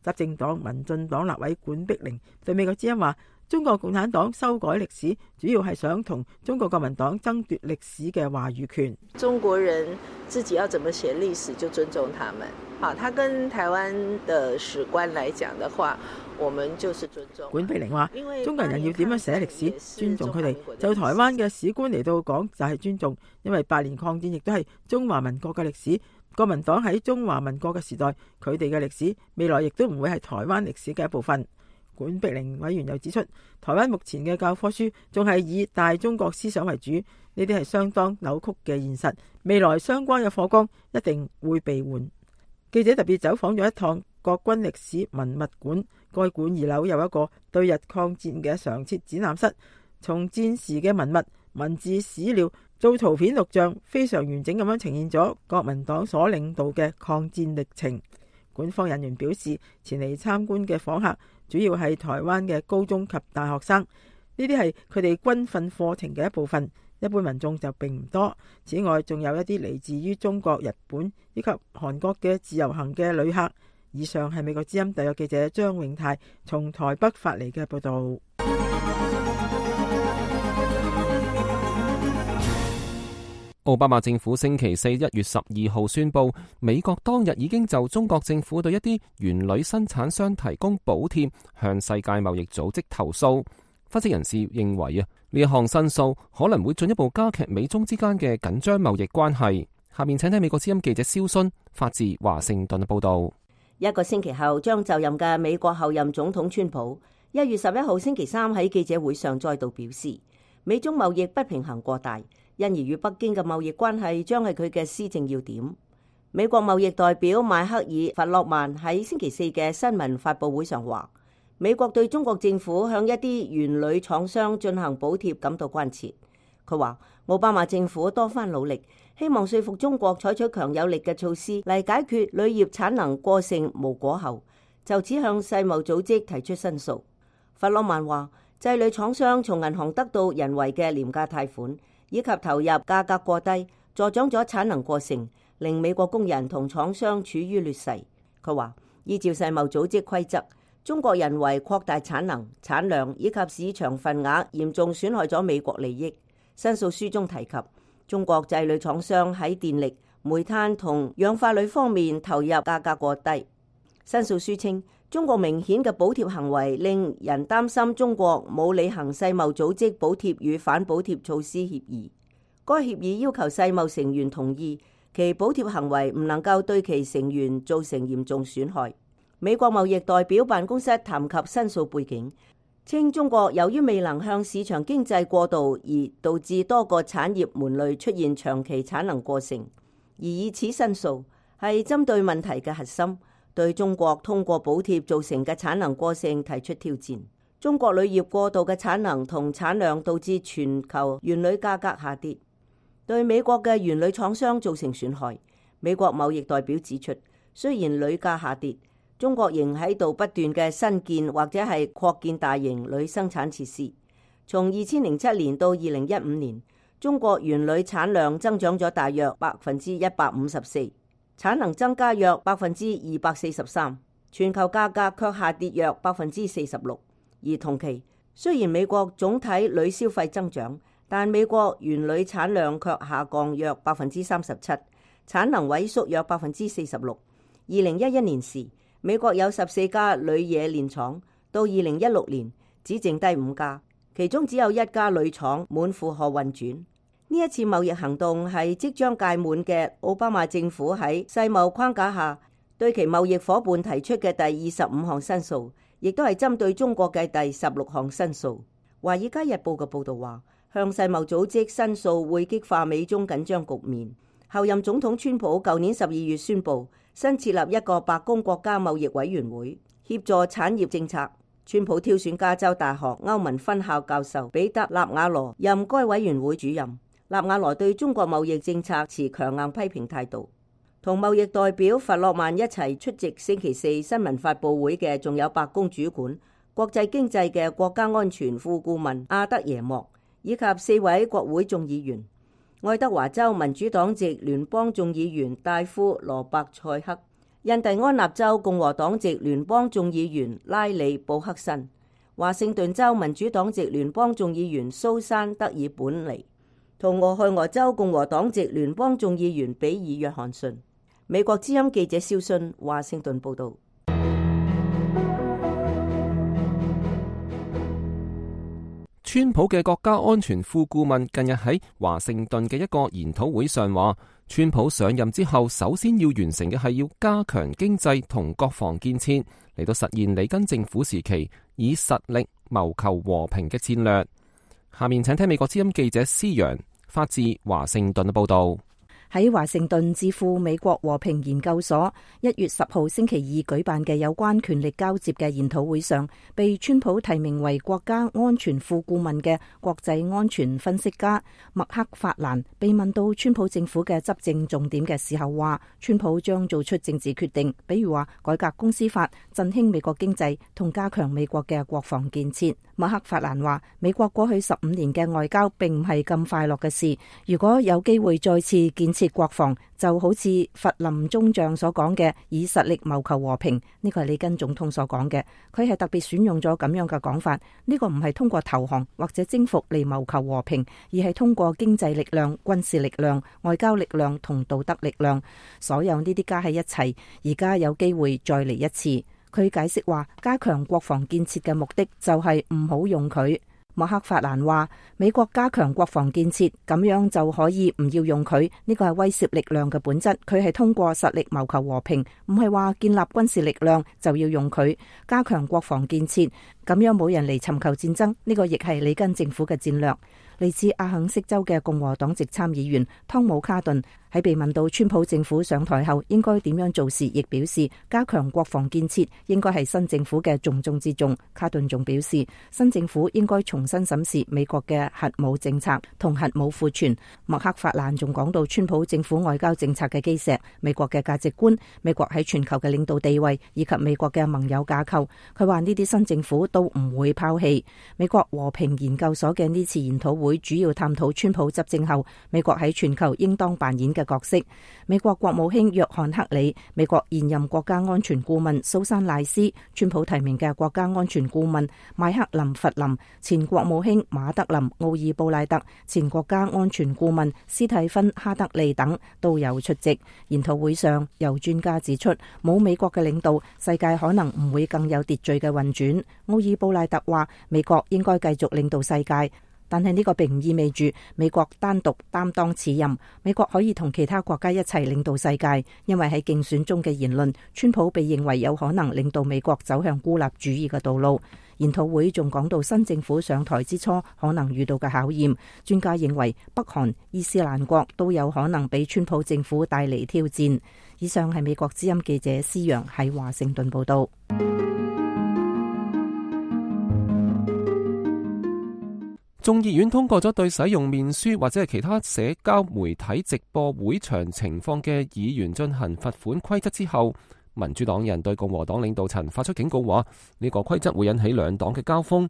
執政黨民進黨立委管碧玲對美國之音話，中國共產黨修改歷史主要係想同中國國民黨爭奪歷史嘅話語權。中國人自己要怎麼寫歷史就尊重他們。好，他跟台灣的史官來講的話，我們就是尊重。管碧玲話，中國人要點樣寫歷史，尊重佢哋。就台灣嘅史官嚟到講就係尊重，因為八年抗戰亦都係中華民國嘅歷史。國民黨喺中華民國嘅時代，佢哋嘅歷史未來亦都唔會係台灣歷史嘅一部分。管碧玲委員又指出，台灣目前嘅教科書仲係以大中國思想為主，呢啲係相當扭曲嘅現實。未來相關嘅課綱一定會被換。記者特別走訪咗一趟國軍歷史文物館，該館二樓有一個對日抗戰嘅常設展覽室，從戰時嘅文物、文字、史料做圖片錄像，非常完整咁樣呈現咗國民黨所領導嘅抗戰歷程。館方人員表示，前嚟參觀嘅訪客主要係台灣嘅高中及大學生，呢啲係佢哋軍訓課程嘅一部分，一般民眾就並唔多。此外，仲有一啲嚟自於中國、日本以及韓國嘅自由行嘅旅客。以上係美國之音特約記者張永泰從台北發嚟嘅報道。奧巴馬政府星期四一月十二號宣布，美國當日已經就中國政府對一啲原鋁生產商提供補貼向世界貿易組織投訴。分析人士認為啊，呢一項申訴可能會進一步加劇美中之間嘅緊張貿易關係。下面請聽美國之音記者蕭순發自華盛頓嘅報道。一個星期後將就任嘅美國後任總統川普，一月十一號星期三喺記者會上再度表示，美中貿易不平衡過大，因而與北京嘅貿易關係將係佢嘅施政要點。美國貿易代表邁克爾·弗洛曼喺星期四嘅新聞發佈會上話，美國對中國政府向一啲原鋁廠商進行補貼感到關切。佢話奧巴馬政府多番努力，希望說服中國採取強有力嘅措施嚟解決鋁業產能過剩無果後，就此向世貿組織提出申訴。弗洛曼話，製鋁廠商從銀行得到人為嘅廉價貸款，以及投入價格過低，助長咗產能過剩，令美國工人同廠商處於劣勢。佢話，依照世貿組織規則，中國人為擴大產能、產量以及市場份額，嚴重損害咗美國利益。申訴書中提及，中國製鋁廠商喺電力、煤炭同氧化鋁方面投入價格過低。申訴書稱，中國明顯嘅補貼行為令人擔心中國冇履行世貿組織補貼與反補貼措施協議。該協議要求世貿成員同意其補貼行為唔能夠對其成員造成嚴重損害。美國貿易代表辦公室談及申訴背景，稱中國由於未能向市場經濟過渡，而導致多個產業門類出現長期產能過剩，而以此申訴係針對問題嘅核心，對中國通過補貼造成嘅產能過剩提出挑戰。中國鋁業過度嘅產能同產量導致全球原鋁價格下跌，對美國嘅原鋁廠商造成損害。美國貿易代表指出，雖然鋁價下跌，中國仍喺度不斷嘅新建或者係擴建大型鋁生產設施。從二千零七年到二零一五年，中國原鋁產量增長咗大約百分之一百五十四，產能增加約百分之二百四十三，全球價格卻下跌約百分之四十六。而同期，雖然美國總體鋁消費增長，但美國原鋁產量卻下降約百分之三十七，產能萎縮約百分之四十六。二零一一年時，美國有十四家鋁冶煉廠，到二零一六年只剩低五家，其中只有一家鋁廠滿負荷運轉。呢一次貿易行動係即將屆滿嘅奧巴馬政府喺世貿框架下對其貿易夥伴提出嘅第二十五項申訴，亦都係針對中國嘅第十六項申訴。華爾街日報嘅報導話，向世貿組織申訴會激化美中緊張局面。後任總統川普舊年十二月宣布新設立一個白宮國家貿易委員會，協助產業政策。川普挑選加州大學歐文分校教授彼得納瓦羅任該委員會主任。納瓦羅對中國貿易政策持強硬批評態度。同貿易代表弗洛曼一齊出席星期四新聞發佈會嘅，仲有白宮主管國際經濟嘅國家安全副顧問阿德耶莫，以及四位國會眾議員。愛德華州民主黨籍聯邦眾議員戴夫羅伯塞克，印第安納州共和黨籍聯邦眾議員拉里布克森、華盛頓州民主黨籍聯邦眾議員蘇珊德爾本尼同俄亥俄州共和黨籍聯邦眾議員比爾約翰遜。美國之音記者蕭信華盛頓報道。川普嘅國家安全副顧問近日喺華盛頓嘅一個研討會上話，川普上任之後首先要完成嘅係要加強經濟同國防建設，嚟到實現里根政府時期以實力謀求和平嘅戰略。下面請聽美國之音記者施陽發自華盛頓嘅報道。喺華盛頓智庫美國和平研究所一月十號星期二舉辦嘅有關權力交接嘅研討會上，被川普提名為國家安全副顧問嘅國際安全分析家麥克法蘭被問到川普政府嘅執政重點嘅時候，話川普將做出政治決定，比如話改革公司法、振興美國經濟同加強美國嘅國防建設。麥克法蘭話，美國過去十五年嘅外交並唔係咁快樂嘅事，如果有機會再次建設國防，就好似弗林中將所講嘅以實力謀求和平，呢個係里根總統所講嘅，佢係特別選用咗咁樣嘅講法。呢個唔係通過投降或者征服嚟謀求和平，而係通過經濟力量、軍事力量、外交力量同道德力量，所有呢啲加喺一齊，而家有機會再嚟一次。佢解釋話，加強國防建設嘅目的就係唔好用佢。麥克法蘭話，美國加強國防建設，咁樣就可以唔要用佢，呢個係威懾力量嘅本質。佢係通過實力謀求和平，唔係話建立軍事力量就要用佢。加強國防建設，咁樣冇人嚟尋求戰爭，呢個亦係里根政府嘅戰略。嚟自阿肯色州嘅共和黨籍參議員湯姆卡頓喺被問到川普政府上台後應該點樣做時，亦表示加強國防建設應該係新政府嘅重中之重。卡頓仲表示，新政府應該重新審視美國嘅核武政策同核武庫存。麥克法蘭仲講到川普政府外交政策嘅基石、美國嘅價值觀、美國喺全球嘅領導地位以及美國嘅盟友架構。佢話呢啲新政府都唔會拋棄。美國和平研究所嘅呢次研討會會主要探討川普執政後美國喺全球應當扮演嘅角色。美國國務卿約翰克里、美國現任國家安全顧問蘇珊賴斯、川普提名嘅國家安全顧問邁克林弗林、前國務卿馬德林奧爾布賴特、前國家安全顧問斯蒂芬哈德利等都有出席。研討會上，有專家指出，冇美國嘅領導，世界可能唔會更有秩序嘅運轉。奧爾布賴特話，美國應該繼續領導世界。但係呢個並唔意味住美國單獨擔當此任，美國可以同其他國家一齊領導世界，因為喺競選中嘅言論，川普被認為有可能領導美國走向孤立主義嘅道路。研討會仲講到新政府上台之初可能遇到嘅考驗，專家認為北韓、伊斯蘭國都有可能俾川普政府帶嚟挑戰。以上係美國之音記者施陽喺華盛頓報道。眾議院通過咗對使用面書或者係其他社交媒體直播會場情況嘅議員進行罰款規則之後，民主黨人對共和黨領導層發出警告，話呢個規則會引起兩黨嘅交鋒。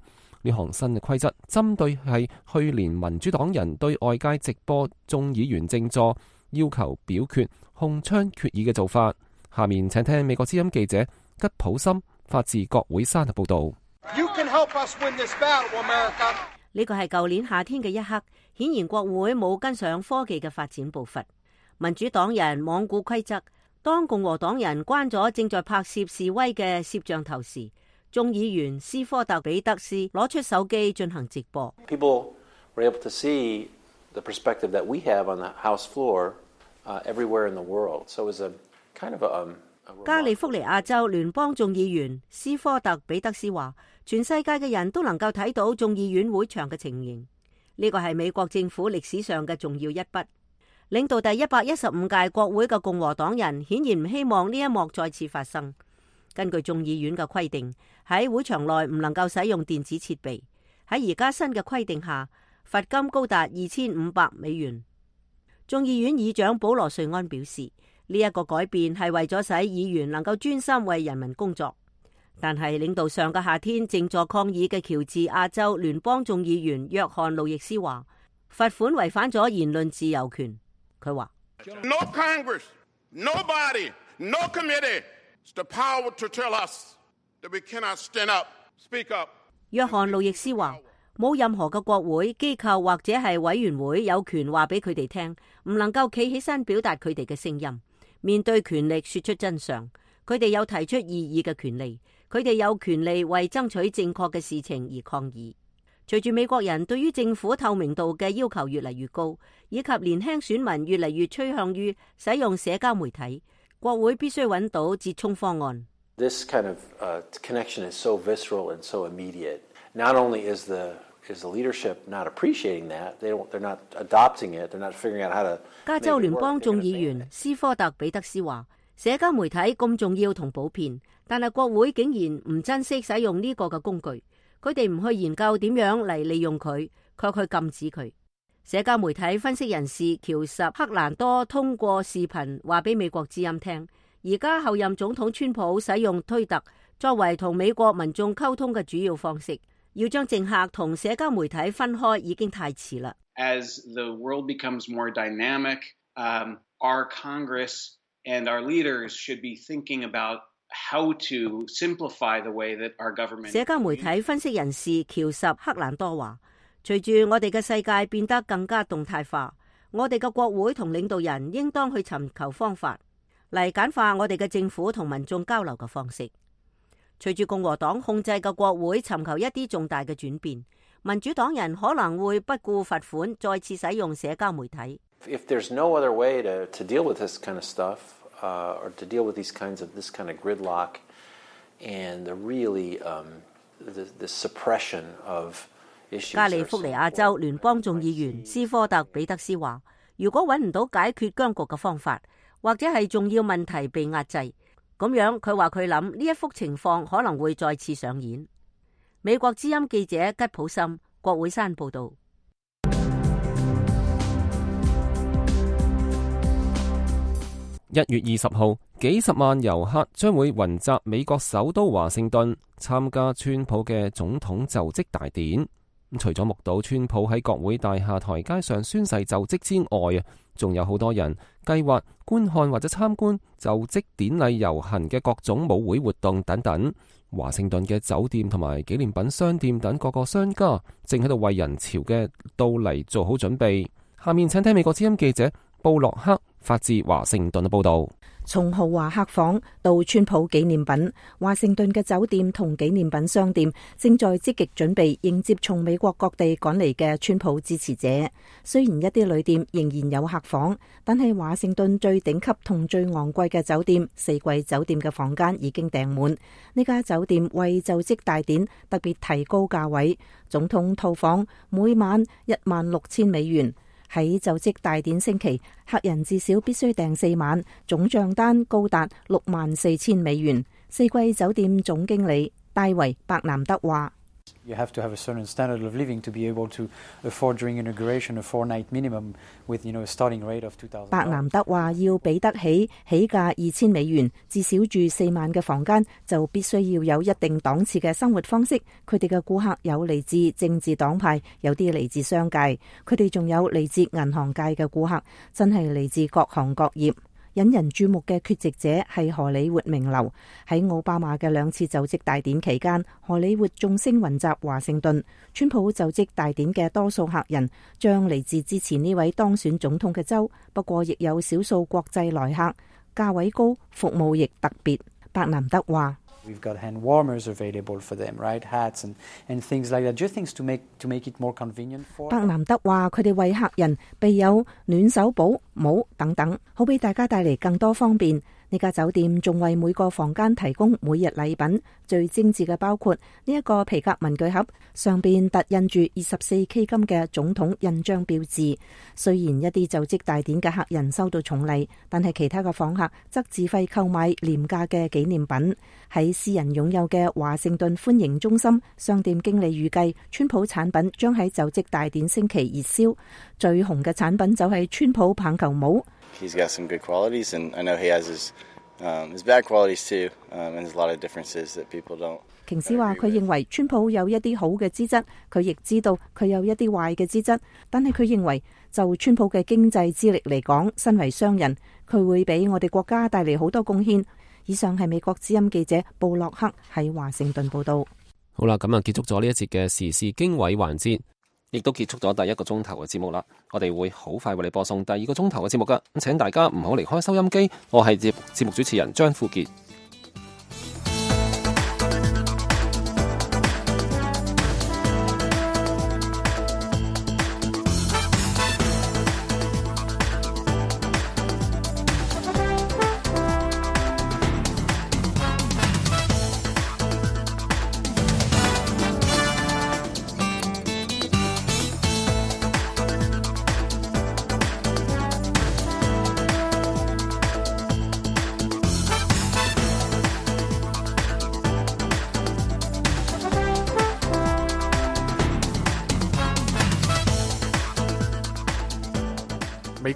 呢項新嘅規則針對係去年民主黨人對外界直播眾議員靜坐要求表決控槍決議嘅做法。下面請聽美國之音記者吉普森發自國會山嘅報道。You can help us win this battle, America. 呢個係舊年夏天嘅一刻，顯然國會冇跟上科技嘅發展步伐。民主黨人罔顧規則，當共和黨人關咗正在拍攝示威嘅攝像頭時，眾議員斯科特比德斯攞出手機進行直播。People were able to see the perspective that we have on the House floor, uh, everywhere in the world. So it was a kind of a, um, a 加利福尼亞州聯邦眾議員斯科特比德斯話，全世界嘅人都能夠睇到眾議院會場嘅情形，呢個係美國政府歷史上嘅重要一筆。領導第一百一十五屆國會嘅共和黨人顯然唔希望呢一幕再次發生。根據眾議院嘅規定，喺會場內唔能夠使用電子設備。喺而家新嘅規定下，罰金高達二千五百美元。眾議院議長保羅瑞安表示，呢一個改變係為咗使議員能夠專心為人民工作。但係領導上個夏天靜坐抗議嘅喬治亞州聯邦眾議員約翰路易斯話，罰款違反咗言論自由權。佢話： No Congress, nobody No committee has the power to tell us that we cannot stand up, speak up. 約翰路易斯話：冇任何嘅國會機構或者係委員會有權話俾佢哋聽，唔能夠企起身表達佢哋嘅聲音，面對權力說出真相。佢哋有提出異議嘅權利，佢哋有權利為爭取正確嘅事情而抗議。隨住美國人對於政府透明度嘅要求越嚟越高，以及年輕選民越嚟越趨向於使用社交媒體，國會必須揾到折衷方案。This kind of uh, connection is so visceral and so immediate. Not only is the is the leadership not appreciating that, they don't, they're not adopting it, they're not figuring out how to. 加州聯邦眾議員斯科特彼得斯話：社交媒體咁重要同普遍，但係國會竟然唔珍惜使用呢個嘅工具。佢哋唔去研究點樣嚟利用佢，卻去禁止佢。社交媒體分析人士喬什克蘭多通過視頻話俾美國之音聽，而家後任總統川普使用推特作為同美國民眾溝通嘅主要方式，要將政客同社交媒體分開已經太遲啦。As the world becomes more dynamic, um, our Congress and our leaders should be thinking about how to simplify the way that our government. 社交媒體分析人士喬什克蘭多話：隨住我哋嘅世界變得更加動態化，我哋嘅國會同領導人應當去尋求方法嚟簡化我哋嘅政府同民眾交流嘅方式。隨住共和黨控制嘅國會尋求一啲重大嘅轉變，民主黨人可能會不顧罰款，再次使用社交媒體。If there's no other way to to deal with this kind of stuff, uh, or to deal with these kinds of this kind of gridlock, and the really um, the the suppression of issues. 加利福尼亞州聯邦眾議員斯科特彼得斯話：如果揾唔到解決僵局嘅方法，或者係重要問題被壓制，咁樣佢話佢諗呢一幅情況可能會再次上演。美國之音記者吉普森，國會山報道。一月二十號，幾十萬遊客將會雲集美國首都華盛頓參加川普嘅總統就職大典。除咗目睹川普喺國會大廈台階上宣誓就職之外啊，仲有好多人計劃觀看或者參觀就職典禮遊行嘅各種舞會活動等等。華盛頓嘅酒店同埋紀念品商店等各個商家正喺度為人潮嘅到嚟做好準備。下面請聽美國之音記者布洛克發自華盛頓嘅報道。從豪華客房到川普紀念品，華盛頓嘅酒店同紀念品商店正在積極準備迎接從美國各地趕嚟嘅川普支持者。雖然一啲旅店仍然有客房，但係華盛頓最頂級同最昂貴嘅酒店四季酒店嘅房間已經訂滿。呢家酒店為就職大典特別提高價位，總統套房每晚一萬六千美元。喺就職大典星期，客人至少必須訂四晚，總賬單高達六萬四千美元。四季酒店總經理戴維伯南德話：You have to have a certain standard of living to be able to afford during inauguration a four-night minimum with, you know, a starting rate of two thousand dollars. 伯南德話：要俾得起起價二千美元，至少住四晚嘅房間，就必須要有一定檔次嘅生活方式。佢哋嘅顧客有嚟自政治黨派，有啲嚟自商界，佢哋仲有嚟自銀行界嘅顧客，真係嚟自各行各業。引人注目嘅缺席者係荷里活名流。喺奧巴馬嘅兩次就職大典期間，荷里活眾星雲集華盛頓。川普就職大典嘅多數客人將嚟自支持呢位當選總統嘅州，不過亦有少數國際來客，價位高，服務亦特別。伯南德話：We've got hand warmers available for them, right? Hats and and things like that. Just things to make to make it more convenient for. 伯南德話：佢哋為客人備有暖手寶、帽等等，好俾大家帶嚟更多方便。呢家酒店仲為每個房間提供每日禮品，最精緻嘅包括呢一個皮革文具盒，上邊凸印住二十四 K 金嘅總統印章標誌。雖然一啲就職大典嘅客人收到重禮，但係其他嘅訪客則自費購買廉價嘅紀念品。喺私人擁有嘅華盛頓歡迎中心，商店經理預計川普產品將喺就職大典星期熱銷，最紅嘅產品就係川普棒球帽。He's got some good qualities, and I know he has his, um, his bad qualities too, um, and there's a lot of differences that people don't. 瓊斯話：佢認為川普有一啲好嘅資質，佢亦知道佢有一啲壞嘅資質，但係佢認為就川普嘅經濟資歷嚟講，身為商人，佢會俾我哋國家帶嚟好多貢獻。以上係美國之音記者布洛克喺華盛頓報道。好啦，咁啊結束咗呢一節嘅時事經緯環節，亦都結束咗第一個鐘頭嘅節目啦。我哋會好快為你播送第二個鐘頭嘅節目噶，咁請大家唔好離開收音機。我係節節目主持人張富傑。